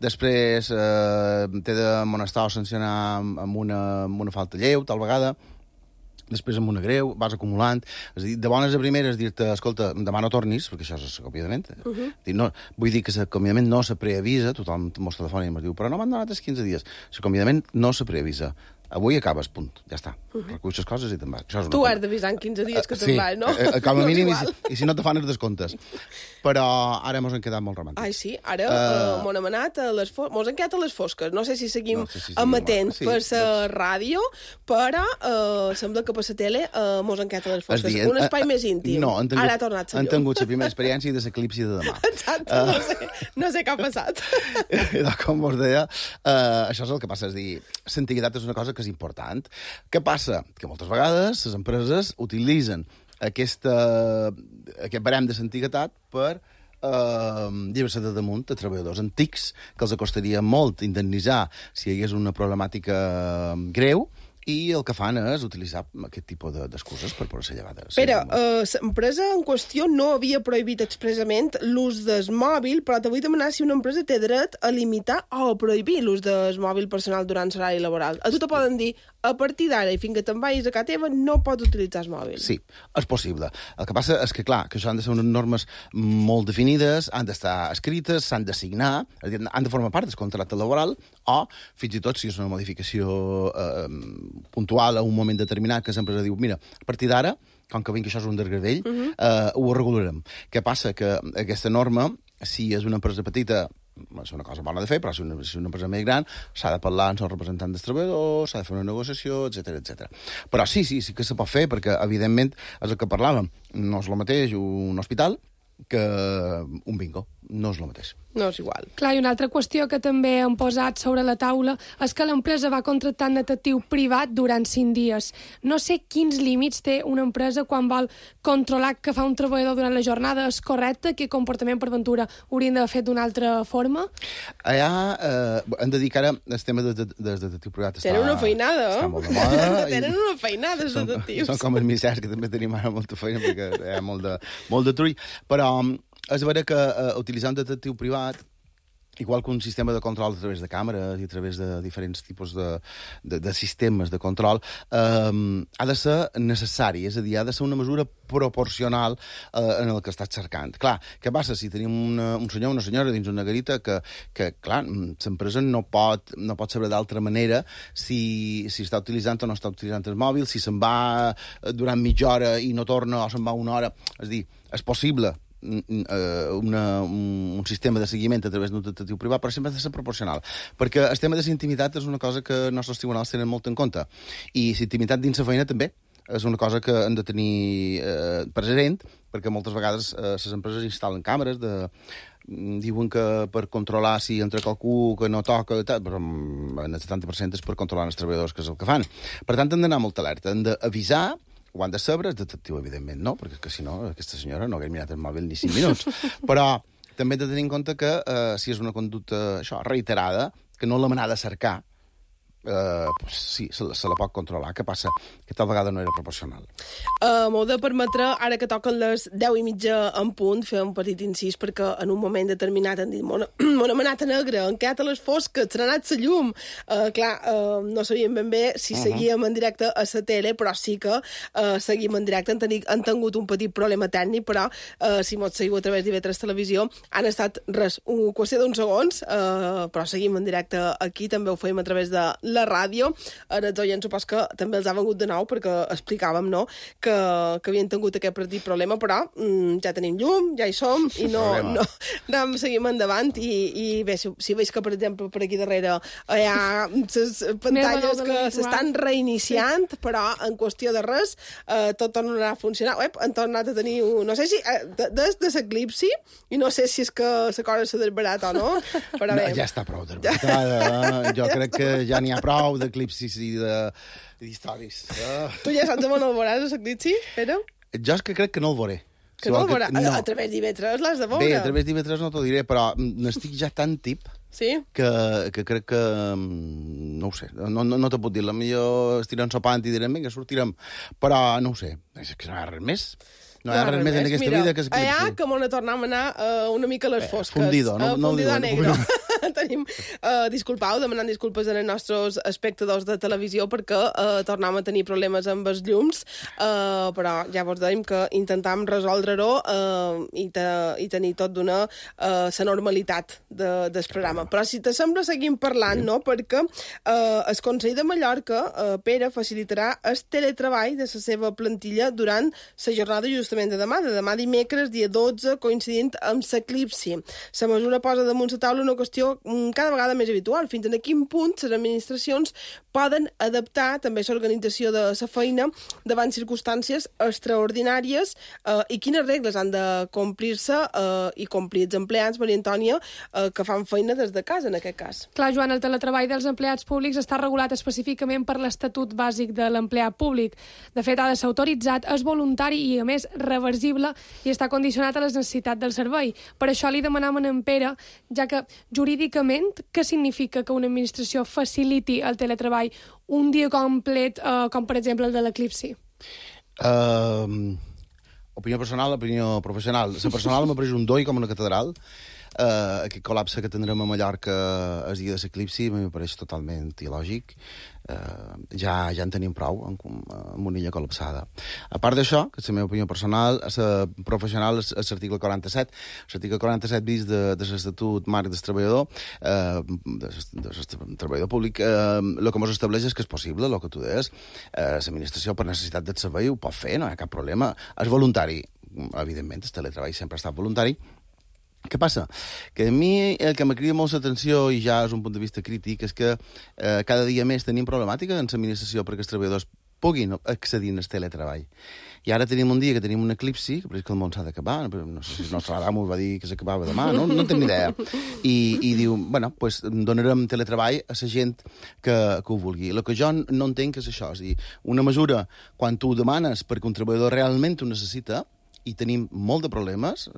després t'he d'amonestar o sancionar amb una falta lleu, tal vegada, després amb una greu, vas acumulant. És a dir, de bones a primeres dir-te, escolta, demà no tornis, perquè això és l'acomiadament. Vull dir que l'acomiadament no se preavisa, tothom mos telefona i em diu, però no m'han donat els 15 dies. L'acomiadament no se preavisa. Avui acabes, punt, ja està. Reculls les coses i te'n vas. Tu has d'avisar en 15 dies que te'n vas, no? Sí, com a mínim, i si no te fan els descomptes. Però ara mos han quedat molt romàntics. Ai, sí, ara mos hem anat a les fosques. Mos han quedat a les fosques. No sé si seguim amatents per la ràdio, però sembla que per la tele mos han quedat a les fosques. Un espai més íntim. Ara ha tornat la llum. Han tingut la primera experiència de l'eclipsi de demà. Exacte, no sé què ha passat. Com vos deia, això és el que passa. És dir, l'antiguitat és una cosa que és important. Què passa? Que moltes vegades les empreses utilitzen aquest barem de l'antiguitat per llibre-se de damunt de treballadors antics que els costaria molt indemnitzar si hi hagués una problemàtica greu i el que fan és utilitzar aquest tipus d'excuses per poder-se llevar. Pere, l'empresa en qüestió no havia prohibit expressament l'ús del mòbil, però te vull demanar si una empresa té dret a limitar o a prohibir l'ús del mòbil personal durant l'horari laboral. A tu te poden dir, a partir d'ara i fins que te'n vagis a casa teva no pots utilitzar el mòbil. Sí, és possible. El que passa és que, clar, que això han de ser unes normes molt definides, han d'estar escrites, s'han de signar, han de formar part del contracte laboral, o, fins i tot, si és una modificació puntual a un moment determinat, que l'empresa diu, mira, a partir d'ara, com que vinc això és un desgradell, ho regularem. Què passa? Que aquesta norma, si és una empresa petita, és una cosa bona de fer, però si és una empresa més gran, s'ha de parlar amb el representant dels treballadors, s'ha de fer una negociació, etc. Però sí que se pot fer, perquè, evidentment, és el que parlàvem. No és el mateix un hospital que un bingo. No és el mateix. No és igual. Clar, i una altra qüestió que també hem posat sobre la taula és que l'empresa va contractar un detectiu privat durant 5 dies. No sé quins límits té una empresa quan vol controlar que fa un treballador durant la jornada. És correcte? Quin comportament per ventura haurien d'haver fet d'una altra forma? Allà hem de dir que ara el tema del detectiu privat Tenen una feinada, està molt de moda. Tenen una feinada, els detectius. Són com els misers, que també tenim ara molta feina, perquè hi ha molt de trull. Però és vera que utilitzar un detectiu privat, igual que un sistema de control a través de càmeres i a través de diferents tipus de sistemes de control, ha de ser necessari, és a dir, ha de ser una mesura proporcional en el que estàs cercant. Clar, què passa si tenim un senyor o una senyora dins una garita que clar, l'empresa no pot saber d'altra manera si està utilitzant o no està utilitzant el mòbil, si se'n va durant mitja hora i no torna o se'n va una hora. És a dir, és possible un sistema de seguiment a través d'un detectiu privat, però sempre ha de ser proporcional, perquè el tema de la intimitat és una cosa que els nostres tribunals tenen molt en compte, i la intimitat dins la feina també és una cosa que hem de tenir present, perquè moltes vegades les empreses instal·len càmeres diuen que per controlar si entra qualcú que no toca, però en el 70% és per controlar els treballadors, que és el que fan. Per tant, hem d'anar molt alerta, hem d'avisar. Ho han de saber, el detectiu, evidentment, no, perquè si no, aquesta senyora no hagués mirat el mòbil ni 5 minuts. Però també hem de tenir en compte que si és una conducta reiterada, que no l'hem anat a cercar, sí, se la pot controlar. Què passa? Que tal vegada no era proporcional. M'ho de permetre, ara que toquen les 10:30 en punt, fer un petit incís, perquè en un moment determinat han dit m'ho hem anat a negre, han quedat a les fosques, se n'ha anat la llum. Clar, no sabíem ben bé si seguíem en directe a la tele, però sí que seguim en directe. Han tingut un petit problema tècnic, però si m'ho seguiu a través d'IV3 Televisió, han estat qüestió d'uns segons, però seguim en directe aquí, també ho fèiem a través de la ràdio. Ara els oients supos que també els ha vengut de nou, perquè explicàvem, no?, que havien tingut aquest petit problema, però ja tenim llum, ja hi som, i no seguim endavant, i bé, si veus que, per exemple, per aquí darrere hi ha les pantalles que s'estan reiniciant, però en qüestió de res tot tornarà a funcionar. Han tornat a tenir no sé si des de l'eclipsi, i no sé si és que la cosa s'ha desbarat o no, però bé. Ja està prou desbaratada. Jo crec que ja n'hi ha prou d'eclipsis i d'històries. Tu ja saps on el veuràs, l'eclipsi, Pere? Jo és que crec que no el veuré. Que no el veuràs? A través d'IV3 l'has de veure. Bé, a través d'IV3 no t'ho diré, però n'estic ja tan tip que crec que... No ho sé, no te puc dir. Potser estirem sopant i direm, vinga, sortirem. Però no ho sé, és que no hi ha res més. No hi ha res més en aquesta vida que s'eclipsi. Allà que m'ho tornem a anar una mica a les fosques. Fundido, no ho diuen. Negro. Tenim, demanant disculpes als nostres espectadors de televisió perquè tornem a tenir problemes amb els llums, però ja vos dèiem que intentàvem resoldre-ho i tenir tot d'una la normalitat del programa. Però si te sembla seguim parlant, no? Perquè el Consell de Mallorca, Pere, facilitarà el teletreball de la seva plantilla durant la jornada justament de demà dimecres, dia 12, coincidint amb l'eclipsi. La mesura posa damunt la taula una qüestió cada vegada més habitual. Fins a quin punt les administracions poden adaptar també l'organització de la feina davant circumstàncies extraordinàries i quines regles han de complir-se i complir els empleats, Maria Antònia, que fan feina des de casa, en aquest cas. Clar, Joan, el teletreball dels empleats públics està regulat específicament per l'Estatut Bàsic de l'Empleat Públic. De fet, ha de ser autoritzat, és voluntari i, a més, reversible i està condicionat a les necessitats del servei. Per això li demanàvem a en Pere, ja que jurídicament, què significa que una administració faciliti el teletreball un dia complet, com per exemple el de l'eclipsi? Opinió personal, opinió professional. La personal m'ha pres un doi com una catedral. Aquest col·lapse que tindrem a Mallorca el dia de l'eclipsi m'ho pareix totalment il·lògic. Ja en tenim prou amb una illa col·lapsada. A part d'això, que és la meva opinió personal, la professional és l'article 47. L'article 47 bis de l'Estatut Marc del Treballador, del treballador públic, el que ens estableix és que és possible, el que tu deies. L'administració, per necessitat del servei, ho pot fer, no hi ha cap problema. És voluntari. Evidentment, el teletreball sempre ha estat voluntari. Què passa? Que a mi el que me crida molt l'atenció, i ja és un punt de vista crític, és que cada dia més tenim problemàtica en l'administració perquè els treballadors puguin accedir al teletreball. I ara tenim un dia que tenim un eclipsi, que pareix que el món s'ha d'acabar, no sé si el nostre Adam us va dir que s'acabava demà, no en tinc ni idea. I diu, bueno, pues donarem teletreball a la gent que ho vulgui. El que jo no entenc és això, és a dir, una mesura, quan tu ho demanes perquè un treballador realment ho necessita, i tenim molt de problemes.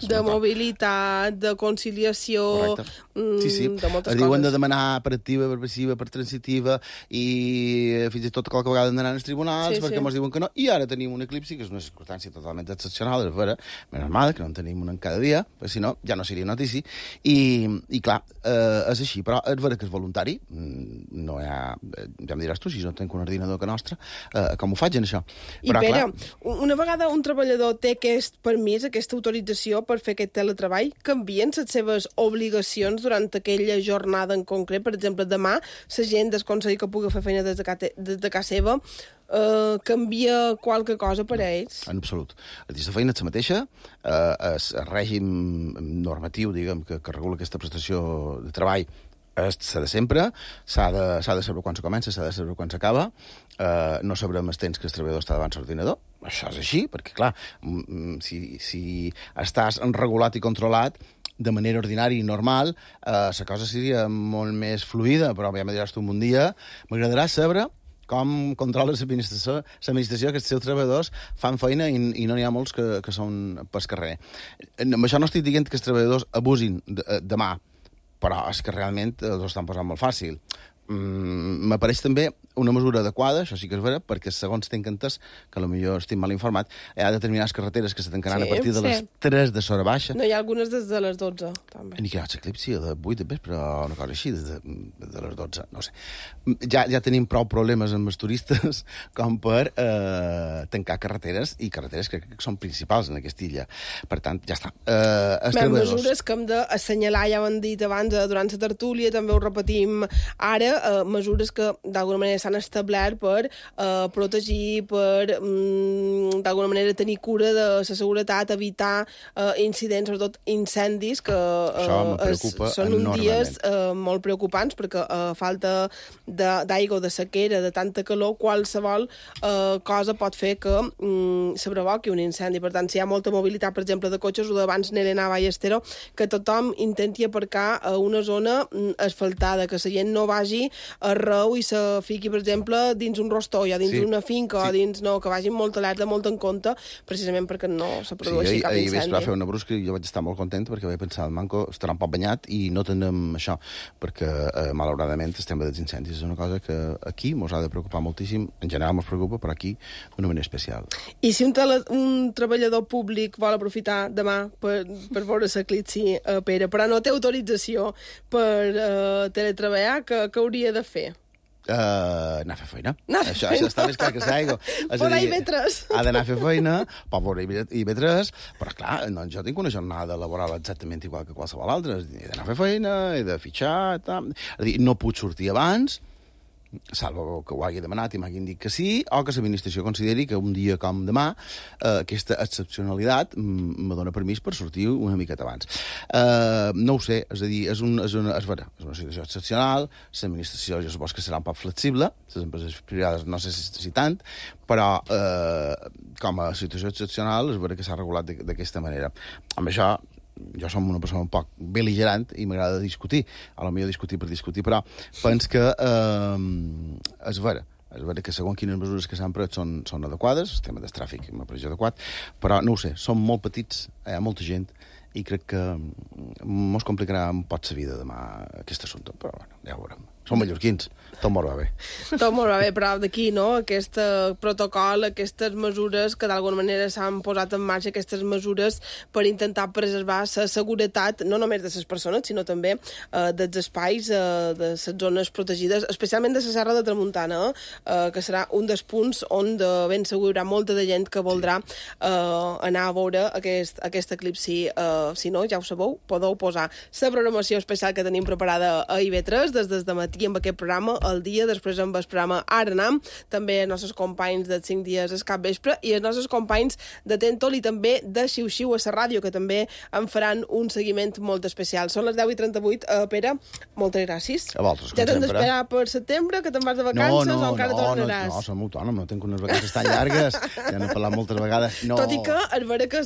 De mobilitat, de conciliació, sí. de moltes Diuen coses. de demanar per activa, per passiva, per transitiva, i fins i tot qualque vegada d'anar als tribunals, perquè ens diuen que no. I ara tenim un eclipsi, que és una circumstància totalment excepcional, és vera, menys mal, que no en tenim un en cada dia, perquè si no, ja no seria notícia. I clar, és així, però és vera que és voluntari, no hi ha... Ja em diràs tu, si no tenc un ordinador que nostre, com ho faig en això? I Pere, una vegada un treballador té aquest permís, aquesta autorització per fer aquest teletreball, canvien les seves obligacions durant aquella jornada en concret? Per exemple, demà, la gent d'aconseguir que pugui fer feina des de casa seva, canvia qualque cosa per a ells? En absolut. La feina és la mateixa, el règim normatiu, diguem, que regula aquesta prestació de treball s'ha de sempre, s'ha de saber quan se comença, s'ha de saber quan s'acaba, no sabrem el temps que el treballador està davant l'ordinador. Això és així, perquè, clar, si estàs regulat i controlat de manera ordinària i normal, la cosa seria molt més fluida, però ja me diràs tu un dia, m'agradarà saber com controla l'administració que els seus treballadors fan feina i no n'hi ha molts que són pel carrer. Amb això no estic dient que els treballadors abusin demà, però és que realment ho estan posant molt fàcil. M'apareix també una mesura adequada, això sí que és vera, perquè segons tinc entès, que potser estic mal informat, hi ha determinades carreteres que se tancaran a partir de les 3 de l'hora baixa. No, hi ha algunes des de les 12, també. Ni que hi ha l'eclipsi de 8 de vespre, o una cosa així, des de les 12, no sé. Ja tenim prou problemes amb els turistes com per tancar carreteres, i carreteres crec que són principals en aquesta illa. Per tant, ja està. Mesures que hem d'assenyalar, ja ho hem dit abans, durant la tertúlia, també ho repetim ara, mesures que d'alguna manera s'han establert per protegir, per d'alguna manera tenir cura de la seguretat, evitar incidents, sobretot incendis, que són uns dies molt preocupants, perquè falta d'aigua, de sequera, de tanta calor, qualsevol cosa pot fer que se provoqui un incendi. Per tant, si hi ha molta mobilitat, per exemple, de cotxes, o d'abans Nelena Ballestero, que tothom intenti aparcar a una zona asfaltada, que la gent no vagi arreu i se fiqui, per exemple, dins un rostoll o dins una finca, o dins... No, que vagin molt alerta, molt en compte, precisament perquè no se produeixi cap incendi. Ahir vespre va fer una brusca i jo vaig estar molt content perquè vaig pensar, el Manco estarà un poc banyat i no tenem això, perquè malauradament el tema dels incendis és una cosa que aquí mos ha de preocupar moltíssim, en general mos preocupa, però aquí d'una manera especial. I si un treballador públic vol aprofitar demà per veure l'eclipsi, Pere, però no té autorització per teletreballar, què hauria de fer? Anar a fer feina. Això està més clar que l'aigua. Por IB3. Ha d'anar a fer feina, pot veure IB3, però esclar, doncs jo tinc una jornada laboral exactament igual que qualsevol altra. He d'anar a fer feina, he de fitxar, tal. És a dir, no puc sortir abans, salvo que ho hagi demanat i m'hagin dit que sí, o que l'administració consideri que un dia com demà aquesta excepcionalitat me dona permís per sortir una miqueta abans. No ho sé, és a dir, és una situació excepcional, l'administració jo supos que serà un poc flexible, les empreses privades no sé si tant, però com a situació excepcional és vera que s'ha regulat d'aquesta manera. Amb això jo som una persona un poc bel·ligerant i m'agrada discutir, a lo millor discutir per discutir, però penso que és vera que segons quines mesures que s'han pres són adequades, el tema del tràfic m'ha pareix adequat, però no ho sé, som molt petits, hi ha molta gent, i crec que mos complicarà un poc la vida demà aquest assumpte, però bueno, ja ho veurem. Som mallorquins, tot molt va bé. Tot molt va bé, però d'aquí, no?, aquest protocol, aquestes mesures que d'alguna manera s'han posat en marxa, aquestes mesures per intentar preservar la seguretat, no només de les persones, sinó també dels espais, de les zones protegides, especialment de la Serra de Tramuntana, que serà un dels punts on de ben segur hi haurà molta de gent que voldrà anar a veure aquest eclipsi. Si no, ja ho sabeu, podeu posar la programació especial que tenim preparada a IB3 des de matí compartir amb aquest programa el dia, després amb el programa Ara Anam, també els nostres companys de 5 dies al capvespre i els nostres companys de Tentol i també de Xiu-Xiu a la ràdio, que també en faran un seguiment molt especial. Són les 10:38. Pere, moltes gràcies. A vosaltres, com ja t'hem sempre. d'esperar per setembre, que te'n vas de vacances o encara tornaràs? No, som autònom, no tinc unes vacances tan llargues, ja n'he parlat moltes vegades. No. Tot i que és vera que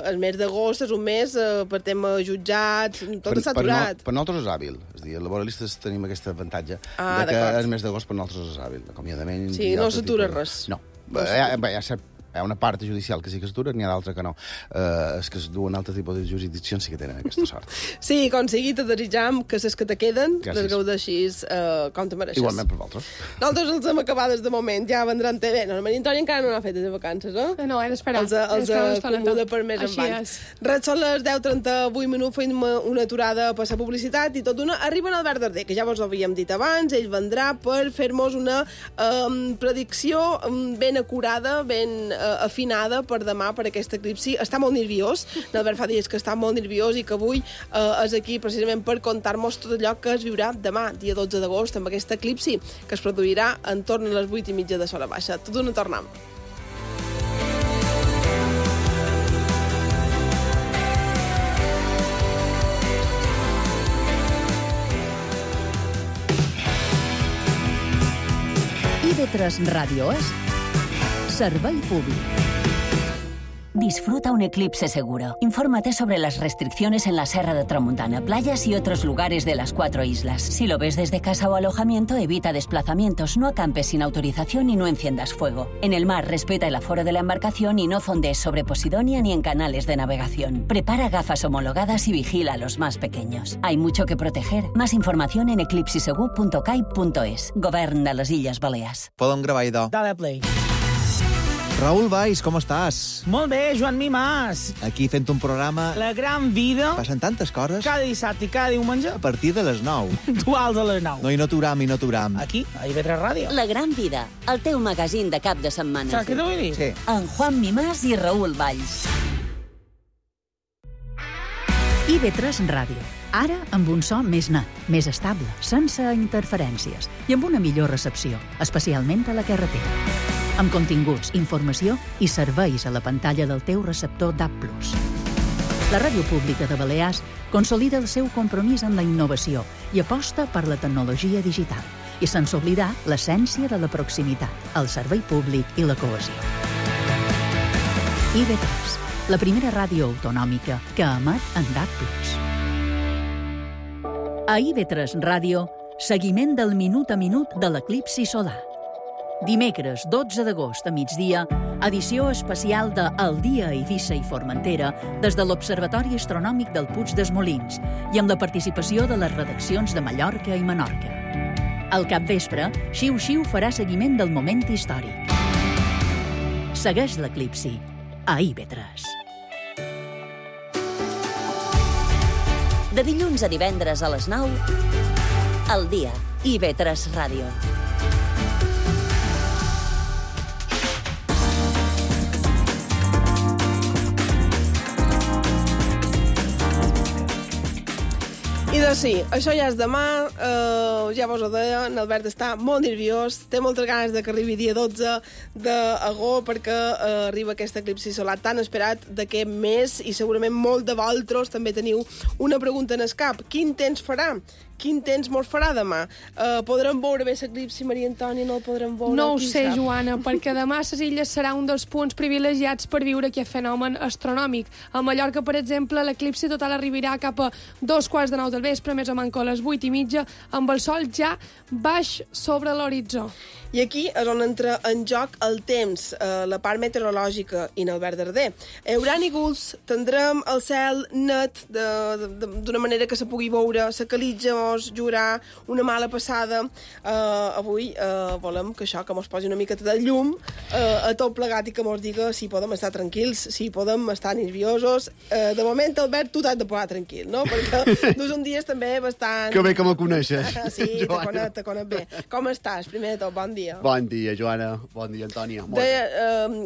el mes d'agost és un mes per tema jutjats, tot està aturat. Per nosaltres és hàbil. És a dir, els laboralistes tenim aquest avantatge de que el mes d'agost per nosaltres és hàbil. Acomiadament... Sí, no s'atura res. No. Ja sap, hi ha una part judicial que sí que s'atura, n'hi ha d'altra que no. Els que es duen altre tipus de jurisdiccions sí que tenen aquesta sort. Sí, com sigui, te desitjam que les que te queden les gaudeixis com te mereixes. Igualment per vosaltres. Nosaltres els hem acabades de moment, ja vendran bé. No, la Maria Antònia encara no n'ha fet de vacances, eh? No, he d'esperar. Els acomoda per més endavant. Res, són les 10:38, fem una aturada per la publicitat i tot d'una arriba en Albert Darder, que ja vos ho havíem dit abans, ell vendrà per fer-nos una predicció ben acurada, ben afinada per demà, per aquest eclipsi. Està molt nerviós, l'Albert fa dies que està molt nerviós i que avui és aquí precisament per contar-nos tot allò que es viurà demà, dia 12 d'agost, amb aquest eclipsi que es produirà entorn a les 8:30 de l'hora baixa. Tot d'una tornem. IB3 Ràdio és Servei Públic. Disfruta un eclipse seguro. Infórmate sobre las restricciones en la Serra de Tramuntana, playas y otros lugares de las 4 islas. Si lo ves desde casa o alojamiento, evita desplazamientos, no acampes sin autorización y no enciendas fuego. En el mar, respeta el aforo de la embarcación y no fondees sobre Posidonia ni en canales de navegación. Prepara gafas homologadas y vigila a los más pequeños. Hay mucho que proteger. Más información en eclipsisegur.cai.es. Govern de les Illes Balears. Podem gravar, idò. Dale play. Raül Valls, com estàs? Molt bé, Joan Mimàs. Aquí fent un programa... La gran vida. Passen tantes coses. Cada dissabte i cada diumenge. A partir de les 9. Duals a les 9. No, i no t'uram. Aquí, a IB3 Ràdio. La gran vida, el teu magazín de cap de setmana. Saps què t'ho vull dir? Sí. En Juan Mimàs i Raül Valls. IB3 Ràdio. Ara amb un so més net, més estable, sense interferències i amb una millor recepció, especialment a la carretera. Amb continguts, informació i serveis a la pantalla del teu receptor DAB+. La Ràdio Pública de Balears consolida el seu compromís amb la innovació i aposta per la tecnologia digital, i sense oblidar l'essència de la proximitat, el servei públic i la cohesió. IB3, la primera ràdio autonòmica que emet en DAB+. A IB3 Ràdio, seguiment del minut a minut de l'eclipsi solar. Dimecres 12 d'agost a migdia, edició especial de El dia a Eivissa i Formentera des de l'Observatori Astronòmic del Puig dels Molins i amb la participació de les redaccions de Mallorca i Menorca. Al capvespre, Xiu-Xiu farà seguiment del moment històric. Segueix l'eclipsi a IB3. De dilluns a divendres a les 9, El dia, IB3 Ràdio. I doncs sí, això ja és demà, ja vos ho deia, l'Albert està molt nerviós, té moltes ganes de que arribi dia 12 d'agost perquè arriba aquest eclipsi solar tan esperat d'aquest mes i segurament molt de vosaltres també teniu una pregunta en el cap. Quin temps farà? Quin temps mos farà demà? Podrem veure bé l'eclipsi, Maria Antònia, no el podrem veure? No ho sé, Joana, perquè demà les illes serà un dels punts privilegiats per viure aquest fenomen astronòmic. A Mallorca, per exemple, l'eclipsi total arribarà cap a 2:15 del vespre, més o manco a les 8:30, amb el sol ja baix sobre l'horitzó. I aquí és on entra en joc el temps, la part meteorològica i en Albert Darder. Hi haurà núvols, tindrem el cel net d'una manera que se pugui veure, la calitja mos jugarà una mala passada. Avui volem que això, que mos posi una miqueta de llum a tot plegat i que mos diga si podem estar tranquils, si podem estar nerviosos. De moment, Albert, tu t'has de posar tranquil, no? Perquè dus un dia també bastant... Que bé que me coneixes, Sí, Joana. te conec bé. Com estàs? Primer de tot, bon dia. Bon dia, Joana. Bon dia, Antònia.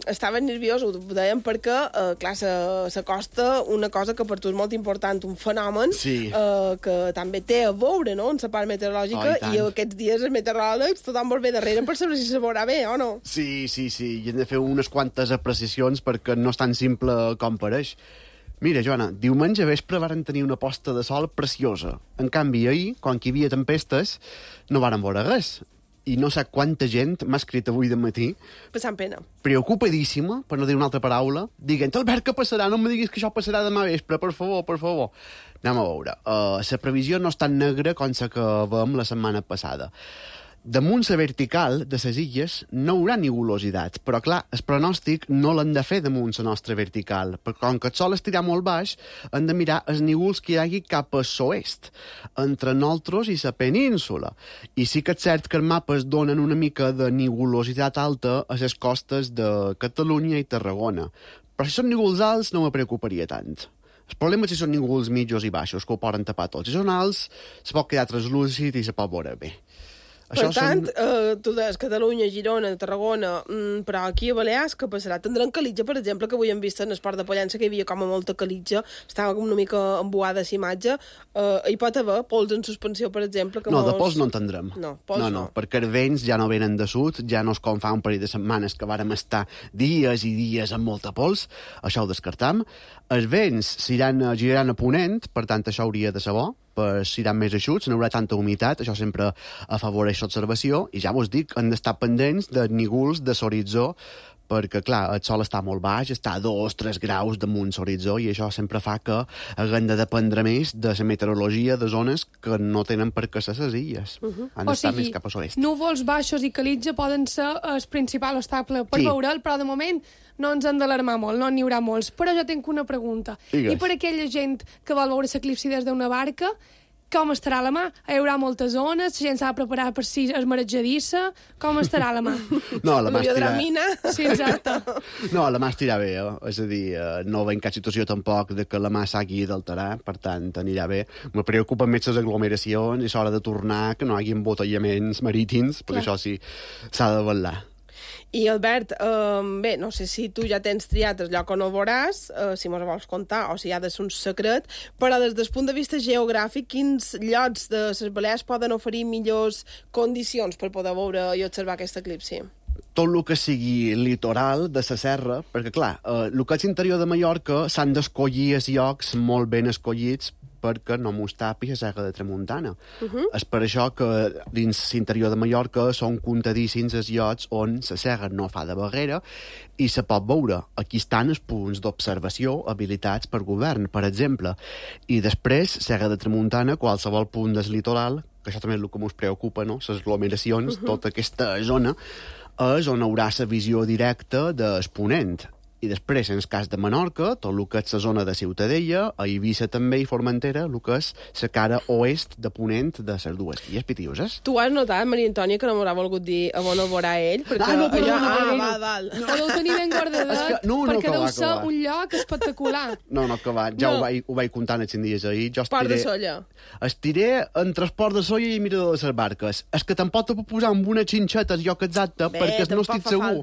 Estaves nerviós, ho dèiem perquè, clar, s'acosta una cosa que per tu és molt important, un fenomen que també té a veure, no?, en la part meteorològica, i aquests dies els meteoròlegs tothom vol bé darrere per saber si se veurà bé o no. Sí, i hem de fer unes quantes apreciacions perquè no és tan simple com pareix. Mira, Joana, diumenge vespre varen tenir una posta de sol preciosa. En canvi, ahir, quan hi havia tempestes, no varen veure res. I no sé quanta gent m'ha escrit avui de matí... Passant pena. Preocupadíssima, per no dir una altra paraula, dient, Albert, què passarà? No em diguis que això passarà demà vespre, per favor, per favor. Anem a veure. La previsió no és tan negra com la que vam la setmana passada. Damunt la vertical de les illes no hi haurà nivulositat, però clar, el pronòstic no l'hem de fer damunt la nostra vertical, perquè com que el sol estirà molt baix, hem de mirar els nívols que hi hagi cap a l'oest, entre nosaltres i la península. I sí que és cert que els mapes donen una mica de nivulositat alta a les costes de Catalunya i Tarragona. Però si són nívols alts no me preocuparia tant. El problema és si són nívols mitjos i baixos, que ho poden tapar tots. Si són alts, se pot quedar translúcid i se pot veure bé. Per tant, tu deies Catalunya, Girona, Tarragona, però aquí a Balears què passarà? Tindran calitja, per exemple, que avui hem vist en Esport de Pollença que hi havia com a molta calitja, estava com una mica embuada a imatge. Hi pot haver pols en suspensió, per exemple? No, de pols no en tindrem. No, perquè els vents ja no venen de sud, ja no és com fa un parell de setmanes que vàrem estar dies i dies amb molta pols, això ho descartam. Els vents giraran a ponent, per tant això hauria de ser bo, seran més eixuts, no hi haurà tanta humitat, això sempre afavoreix l'observació, i ja vos dic, hem d'estar pendents de nívols de l'horitzó, perquè, clar, el sol està molt baix, està a 2-3 graus damunt l'horitzó, i això sempre fa que haguem de dependre més de la meteorologia de zones que no tenen per què ser les illes. Han d'estar més cap a l'oest. Núvols baixos i calitja poden ser el principal obstacle per veure'l, però de moment no ens hem d'alarmar molt, no n'hi haurà molts. Però jo tinc una pregunta. Digues. I per aquella gent que vol veure l'eclipsi des d'una barca, com estarà la mà? Hi haurà moltes ones, la gent s'ha de preparar per si és marejadissa, com estarà la mà? No, la mà estirà... Sí, exacte. No, la mà estirà bé, és a dir, no veiem cap situació tampoc de que la mà s'hagi d'alterar, per tant, anirà bé. Me preocupen més les aglomeracions i l'hora de tornar, que no hi hagi embotellaments marítims, perquè això sí, s'ha de vetllar. I, Albert, bé, no sé si tu ja tens triat el lloc on ho veuràs, si mos vols contar, o si ha de ser un secret, però des del punt de vista geogràfic, quins llocs de les Balears poden oferir millors condicions per poder veure i observar aquest eclipsi? Tot el que sigui litoral de la serra, perquè, clar, el que és interior de Mallorca s'han d'escollir els llocs molt ben escollits perquè no mos tapi la Serra de Tramuntana. És per això que dins l'interior de Mallorca són contadíssims els llocs on la serra no fa de barrera i se pot veure. Aquí estan els punts d'observació habilitats per govern, per exemple. I després, Serra de Tramuntana, qualsevol punt del litoral, que això també és el que ens preocupa, no?, les aglomeracions, tota aquesta zona, és on haurà la visió directa del ponent. I després, en el cas de Menorca, tot el que és la zona de Ciutadella, a Eivissa també i Formentera, el que és la cara oest de ponent de les dues illes Pitiuses. Tu has notat, Maria Antònia, que no m'haurà volgut dir on ho veurà ell? Perquè no, val. Podeu tenir ben guardadet, perquè deu ser un lloc espectacular. No, que va, ja ho vaig comptar en els 5 dies ahir. Port de Solla. Estiré entre el Port de Solla i Mirador de les Barques. És que tampoc te puc posar amb una xinxeta el lloc exacte, perquè no estic segur.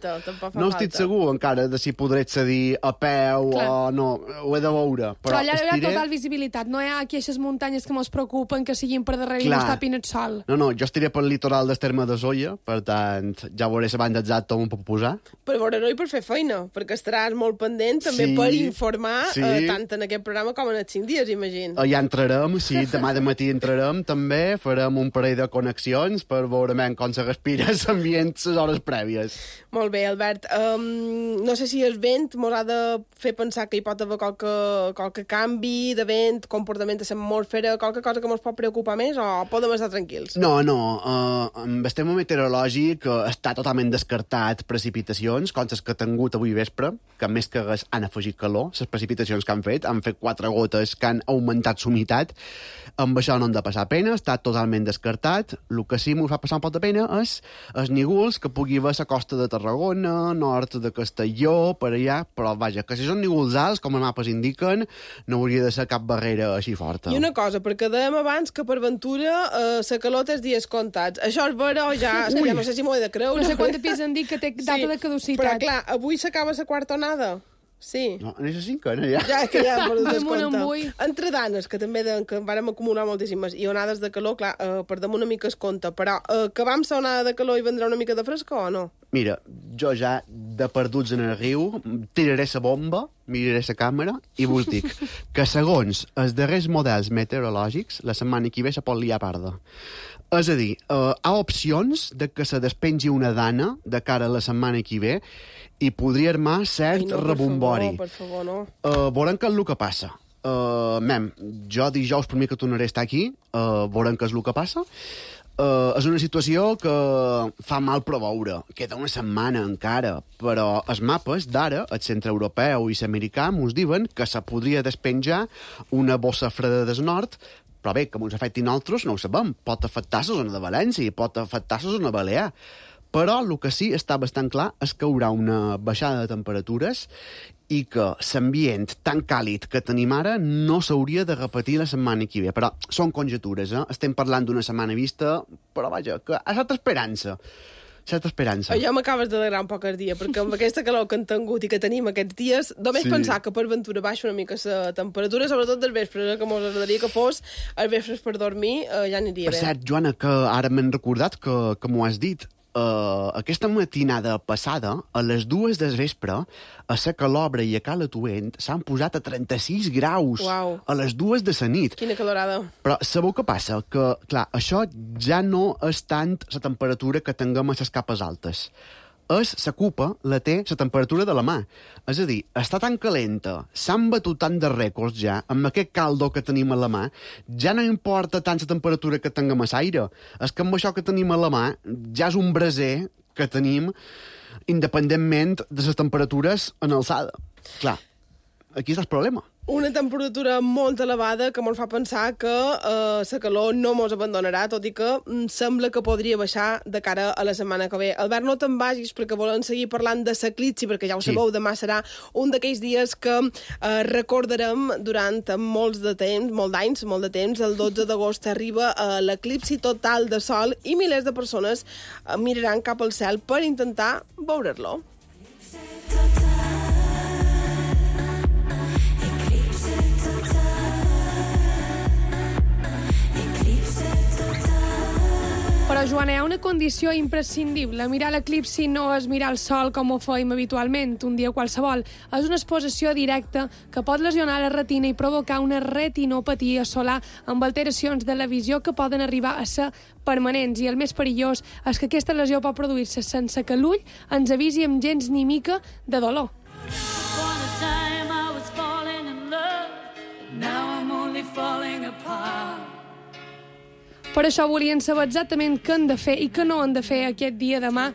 No estic segur encara de si podré accedir a peu o no, ho he de veure. Però allà hi ha total visibilitat, no hi ha aquí aquestes muntanyes que ens preocupen que siguin per darrere i no es tapin el sol. No, jo estiré pel litoral del terme de Solla, per tant, ja veuré la banda exacta on puc posar. Per veure-ho i per fer feina, perquè estaràs molt pendent també per informar tant en aquest programa com en els 5 dies, imagino. Ja entrarem, sí, demà de matí entrarem també, farem un parell de connexions per veure com se respira l'ambient les hores prèvies. Molt bé, Albert. No sé si el vent mos ha de fer pensar que hi pot haver qualque canvi de vent, comportament de l'atmosfera, qualque cosa que ens pot preocupar més, o podem estar tranquils? No, amb el tema meteorològic està totalment descartat precipitacions, com les que ha tingut avui vespre, que més que res han afegit calor, les precipitacions que han fet 4 gotes que han augmentat l'humitat, amb això no han de passar pena, està totalment descartat. El que sí m'ho fa passar un poc de pena és els nívols que pugui haver a la costa de Tarragona, nord de Castelló, per allà, triar, però vaja, que si són nívols alts, com els mapes indiquen, no hauria de ser cap barrera així forta. I una cosa, perquè dèiem abans que per ventura la calor té els dies comptats. Això és vera o ja no sé si m'ho he de creure. No sé quant de pis han dit que té data de caducitat. Però clar, avui s'acaba la quarta onada. Sí. No, en aquesta cinquena ja. Ja, és que ja hem perdut el compte. Entre danes, que també que vàrem acumular moltíssimes, i onades de calor, clar, per damunt una mica es compta, però que vam ser onada de calor i vendrà una mica de frescor o no? Mira, jo ja, de perduts en el riu, tiraré la bomba, miraré la càmera i vos dic que segons els darrers models meteorològics, la setmana que ve se pot liar parda. És a dir, hi ha opcions de que se despengi una dana de cara a la setmana que ve i podria armar cert rebombori. Per favor, no. Veurem què és el que passa. Jo dijous per mi que tornaré a estar aquí, veurem què és el que passa. És una situació que fa mal preveure. Queda una setmana encara, però els mapes d'ara, el centre europeu i l'americà, ens diuen que se podria despenjar una bossa freda del nord, però bé, que ens afecti nosaltres no ho sabem. Pot afectar la zona de València i pot afectar la zona balear. Però el que sí està bastant clar és que hi haurà una baixada de temperatures i que l'ambient tan càlid que tenim ara no s'hauria de repetir la setmana que ve. Però són conjectures, eh? Estem parlant d'una setmana vista, però vaja, que ha estat esperança. Certa esperança. Jo m'acabes d'alegrar un poc el dia, perquè amb aquesta calor que han tingut i que tenim aquests dies, només pensar que per ventura baixa una mica la temperatura, sobretot dels vespres, que mos agradaria que fos els vespres per dormir, ja aniria bé. Per cert, Joana, que ara m'he recordat que m'ho has dit. Aquesta matinada passada, a les 2 del vespre, a la Calobra i a Cala Tuent s'han posat a 36 graus. Uau. A les 2 de la nit. Quina calorada. Però sabeu què passa? Que, clar, això ja no és tant la temperatura que tinguem a les capes altes. La cupa la té la temperatura de la mà. És a dir, està tan calenta, s'han batut tant de rècords ja, amb aquest caldo que tenim a la mà, ja no importa tant la temperatura que tinguem a l'aire. És que amb això que tenim a la mà ja és un braser que tenim independentment de les temperatures en alçada. Clar, aquí està el problema. Una temperatura molt elevada que ens fa pensar que la calor no ens abandonarà, tot i que sembla que podria baixar de cara a la setmana que ve. Albert, no te'n vagis perquè volem seguir parlant de l'eclipsi, perquè ja ho sabeu, demà serà un d'aquells dies que recordarem durant molt de temps, el 12 d'agost arriba l'eclipsi total de sol i milers de persones miraran cap al cel per intentar veure-lo. Però, Joana, hi ha una condició imprescindible. Mirar l'eclipsi no és mirar el sol com ho feim habitualment, un dia qualsevol. És una exposició directa que pot lesionar la retina i provocar una retinopatia solar amb alteracions de la visió que poden arribar a ser permanents. I el més perillós és que aquesta lesió pot produir-se sense que l'ull ens avisi amb gens ni mica de dolor. Per això volien saber exactament què han de fer i què no han de fer aquest dia demà,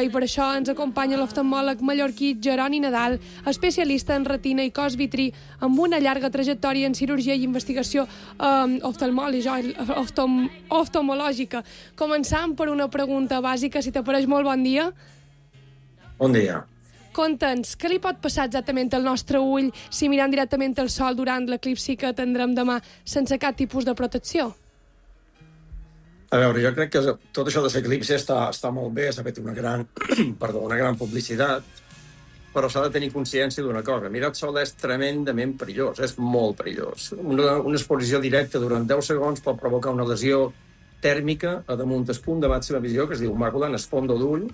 i per això ens acompanya l'oftalmòleg mallorquí Jeroni Nadal, especialista en retina i cos vitrí, amb una llarga trajectòria en cirurgia i investigació oftalmològica. Començant per una pregunta bàsica, si t'apareix molt bon dia. Bon dia. Conta'ns, què li pot passar exactament al nostre ull si mirant directament el sol durant l'eclipsi que tindrem demà sense cap tipus de protecció? A veure, jo crec que tot això de l'eclipsi està molt bé, s'ha fet una gran publicitat, però s'ha de tenir consciència d'una cosa. Mirar el sol és tremendament perillós, és molt perillós. Una exposició directa durant 10 segons pot provocar una lesió tèrmica a damunt del punt de màxima visió, que es diu màcula, en el fons d'ull.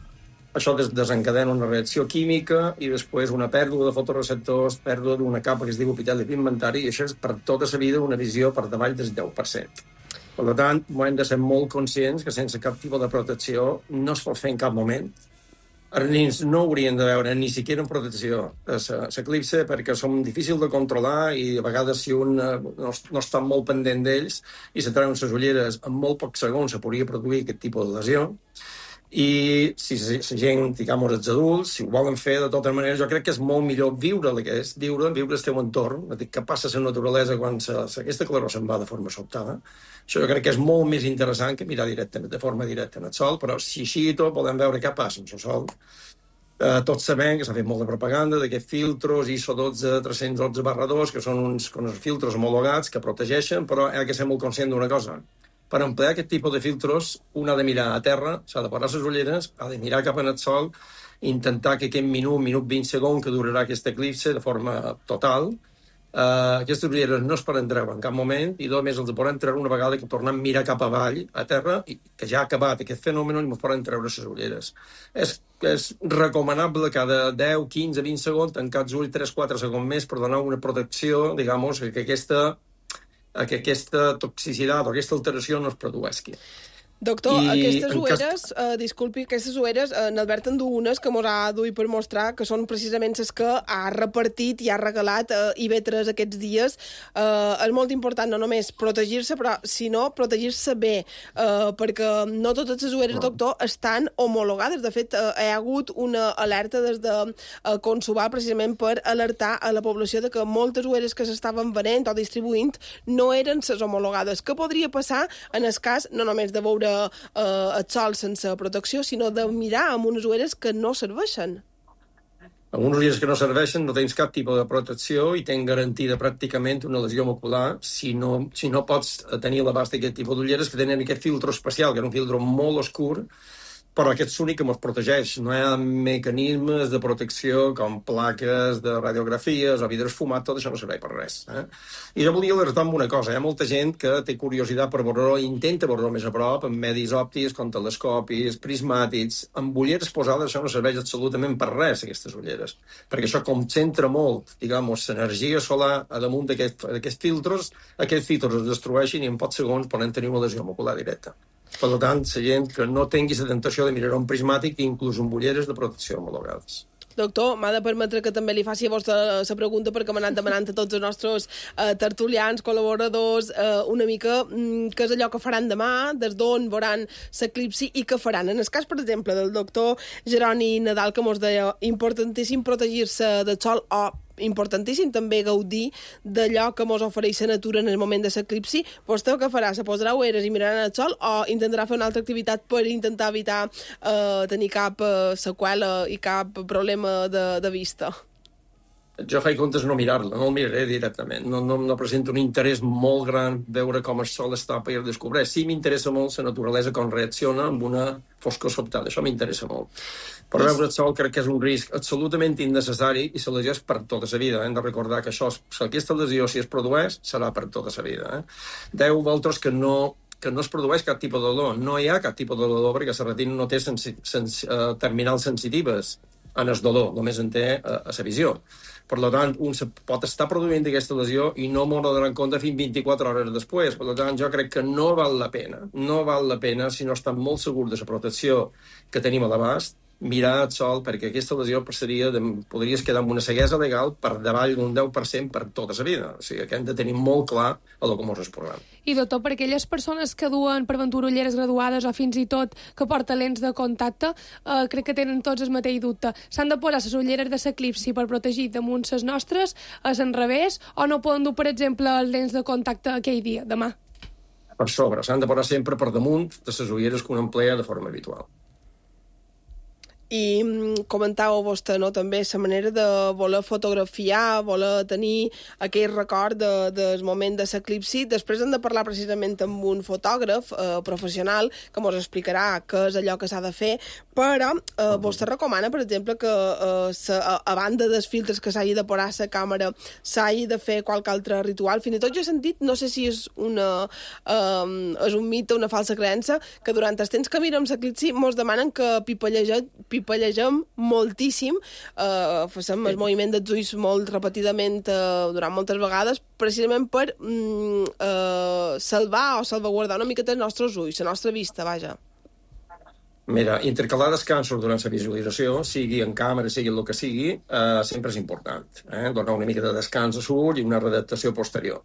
Això desencadena una reacció química i després una pèrdua de fotoreceptors, pèrdua d'una capa que es diu epiteli pigmentari, i això és per tota la vida una visió per davall del 10%. Per tant, hem de ser molt conscients que sense cap tipus de protecció no es pot fer en cap moment. Els nens no haurien de veure ni siquiera en protecció l'eclipsi perquè són difícils de controlar i a vegades si un no està molt pendent d'ells i se treuen les ulleres en molt pocs segons se podria produir aquest tipus de lesió. I si la gent, diguem, els adults, si ho volen fer de tota manera, jo crec que és molt millor viure el teu entorn, què passa a la naturalesa quan aquesta claror se'n va de forma sobtada. Això jo crec que és molt més interessant que mirar de forma directa en el sol, però si així i tot volem veure què passa amb el sol, Tots sabem que s'ha fet molta propaganda d'aquests filtros ISO 12312/2, que són uns filtros homologats que protegeixen, però ha de ser molt conscient d'una cosa. Per emplear aquest tipus de filtros, un ha de mirar a terra, s'ha de posar les ulleres, ha de mirar cap en el sol, intentar que aquest minut 20 segons que durarà aquest eclipse de forma total, aquestes ulleres no es poden treure en cap moment i només els poden treure una vegada que tornem a mirar cap avall, a terra, i que ja ha acabat aquest fenomen i ens poden treure les ulleres. És recomanable cada 10, 15, 20 segons tancar els ulls 3-4 segons més per donar una protecció, digamos, que aquesta toxicitat o aquesta alteració no es produeixi. Doctor, aquestes ulleres, disculpi, aquestes ulleres, n'Albert en du unes que mos ha duit per mostrar que són precisament les que ha repartit i ha regalat IB3 aquests dies. És molt important no només protegir-se, però sinó protegir-se bé, perquè no totes les ulleres, doctor, estan homologades. De fet, hi ha hagut una alerta des de Consubar precisament per alertar a la població de que moltes ulleres que s'estaven venent o distribuint no eren les homologades. Què podria passar en el cas no només de veure el sol sense protecció, sinó de mirar amb unes ulleres que no serveixen? Amb unes ulleres que no serveixen no tens cap tipus de protecció i tens garantida pràcticament una lesió ocular si no pots tenir l'abast d'aquest tipus d'ulleres que tenen aquest filtro especial, que és un filtro molt oscur, però aquest és l'únic que ens protegeix. No hi ha mecanismes de protecció com plaques de radiografies o vidre esfumat, tot això no serveix per res. I jo volia alertar amb una cosa. Hi ha molta gent que té curiositat per veure-ho i intenta veure-ho més a prop, amb medis òptics, com telescopis, prismàtics. Amb ulleres posades això no serveix absolutament per res, aquestes ulleres, perquè això concentra molt, digamos, l'energia solar a damunt d'aquests filtros. Aquests filtros es destrueixen i en pocs segons poden tenir una lesió ocular directa. Per tant, la gent que no tingui la tentació de mirar un prismàtic, inclús amb ulleres de protecció homologades. Doctor, m'ha de permetre que també li faci a vostè la pregunta perquè m'ha anat demanant a tots els nostres tertulians, col·laboradors, una mica què és allò que faran demà, des d'on veuran l'eclipsi i què faran. En el cas, per exemple, del doctor Jeroni Nadal, que mos deia importantíssim protegir-se del sol o importantíssim també gaudir d'allò que mos ofereix la natura en el moment de l'eclipsi. Vostè què farà? Se posarà ulleres i mirarà el sol o intentarà fer una altra activitat per intentar evitar tenir cap seqüela i cap problema de vista? Jo faig comptes no mirar-la, no el miraré directament. No presento un interès molt gran veure com el sol està per descobrir. Sí m'interessa molt la naturalesa, com reacciona amb una foscor sobtada. Això m'interessa molt. Però veure el sol crec que és un risc absolutament innecessari i la lesió és per tota la vida. Hem de recordar que aquesta lesió, si es produeix, serà per tota la vida. Deu vosaltres que no es produeix cap tipus de dolor. No hi ha cap tipus de dolor perquè la retina no té terminals sensitives en el dolor, només en té a la visió. Per tant, un pot estar produint aquesta lesió i no m'ho donar en compte fins 24 hores després. Per tant, jo crec que no val la pena, si no estan molt segurs de la protecció que tenim a l'abast, mirar el sol, perquè aquesta lesió podries quedar amb una ceguesa legal per davall d'un 10% per tota la vida. O sigui, que hem de tenir molt clar el que ens exposem. I, doctor, per aquelles persones que duen per ventura ulleres graduades o fins i tot que porten lents de contacte, crec que tenen tots el mateix dubte. S'han de posar les ulleres de l'eclipsi per protegir damunt les nostres, a l'enrevés, o no poden dur, per exemple, les lents de contacte aquell dia, demà? Per sobre, s'han de posar sempre per damunt de les ulleres que un emplea de forma habitual. I comentàveu vostè, no?, també la manera de voler fotografiar, voler tenir aquell record del moment de l'eclipsi. Després hem de parlar precisament amb un fotògraf professional que ens explicarà què és allò que s'ha de fer, però vostè recomana, per exemple, que a banda dels filtres que s'hagi de posar a la càmera s'hagi de fer qualque altre ritual. Fins i tot jo he sentit, no sé si és un mite, una falsa creença, que durant els temps que mirem l'eclipsi mos demanen que pipallegem moltíssim, fem el moviment dels ulls molt repetidament durant moltes vegades, precisament per salvar o salvaguardar una miqueta els nostres ulls, la nostra vista, vaja. Mira, intercalar descansos durant la visualització, sigui en càmera, sigui el que sigui, sempre és important. Donar una mica de descans a l'ull i una readaptació posterior.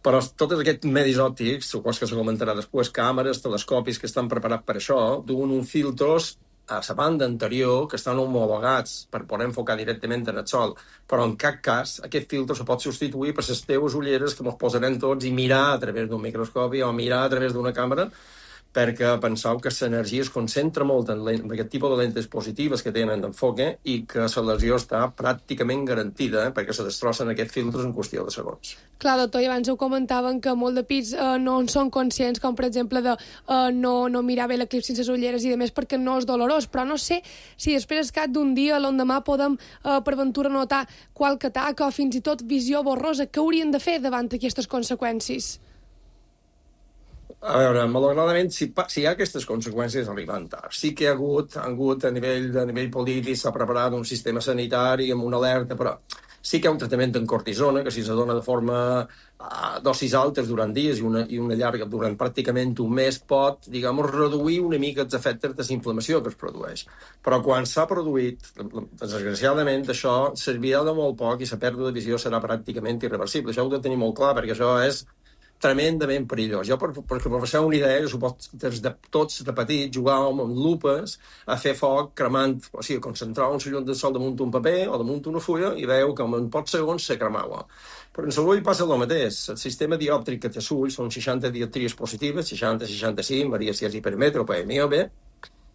Però tots aquests medis òptics, suposo que se comentarà després, càmeres, telescopis que estan preparats per això, duen uns filtros a la banda anterior que estan homologats per poder enfocar directament en el sol, però en cap cas aquest filtre se pot substituir per les teves ulleres que ens posarem tots i mirar a través d'un microscopi o mirar a través d'una càmera, perquè penseu que l'energia es concentra molt en aquest tipus de lentes positives que tenen d'enfoque i que la lesió està pràcticament garantida, perquè se destrossen aquests filtres en qüestió de segons. Clar, doctor, i abans ho comentaven que molt de pits no en són conscients, com per exemple de no mirar bé l'eclipsi sense les ulleres i de més perquè no és dolorós, però no sé si després al cap d'un dia, l'endemà, podem per ventura notar qualque taca o fins i tot visió borrosa. Què haurien de fer davant d'aquestes conseqüències? A veure, malauradament, si hi ha aquestes conseqüències, arriben tard. Sí que hi ha hagut a nivell polític, s'ha preparat un sistema sanitari amb una alerta, però sí que hi ha un tractament en cortisona, que si se dona de forma dosis altes durant dies i una llarga durant pràcticament un mes pot, reduir una mica els efectes de la inflamació que es produeix. Però quan s'ha produït, desgraciadament, això servirà de molt poc i la pèrdua de visió serà pràcticament irreversible. Això ho heu de tenir molt clar, perquè això és tremendament perillós. Jo, perquè per fer una idea, jo suposo des de tots de petits jugàvem amb lupes a fer foc cremant, o sigui, concentràvem la llum del sol damunt un paper o damunt una fulla i veieu que en pocs segons se cremava. Però en l'ull passa el mateix. El sistema diòptric que té l'ull són 60 dioptries positives, 60-65, varia si és hipermetre o PMIOB,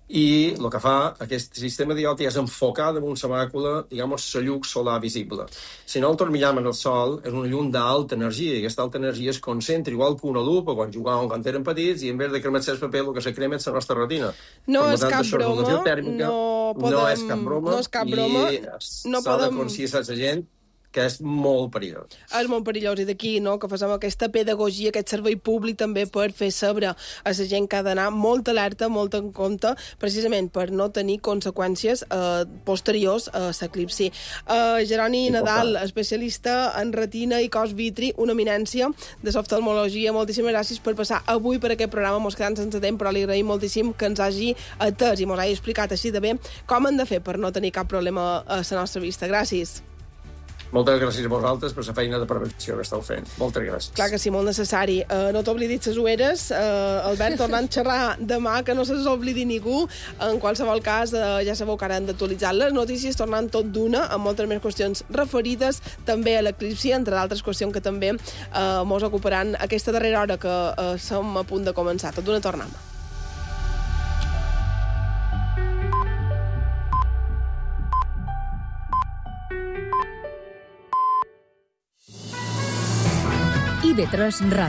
i el que fa aquest sistema diòptric és enfocar damunt la màcula, la llum solar visible. Si no el tormillam en el sol, és una llum d'alta energia, i aquesta alta energia es concentra igual que una lupa quan jugàvem quan eren petits, i en vez de cremar-se el paper, el que se crema és la nostra retina. No és cap broma, no és cap broma, i s'ha de conscienciar la gent que és molt perillós. És molt perillós, i d'aquí que fem aquesta pedagogia, aquest servei públic també per fer saber a la gent que ha d'anar molt alerta, molt en compte, precisament per no tenir conseqüències posteriors a l'eclipsi. Jeroni Nadal, especialista en retina i cos vitri, una eminència de l'oftalmologia, moltíssimes gràcies per passar avui per aquest programa. Mos quedem sense temps, però li agraïm moltíssim que ens hagi atès i mos hagi explicat així de bé com hem de fer per no tenir cap problema a la nostra vista. Gràcies. Moltes gràcies a vosaltres per la feina de prevenció que esteu fent. Moltes gràcies. Clar que sí, molt necessari. No t'oblidis les ulleres. Albert, tornant a xerrar demà, que no se les oblidi ningú. En qualsevol cas, ja sabeu que ara hem d'actualitzar les notícies, tornant tot d'una, amb moltes més qüestions referides també a l'eclipsi, entre d'altres qüestions que també mos ocuparan aquesta darrera hora que som a punt de començar. Tot d'una tornem. IB3 Ràdio.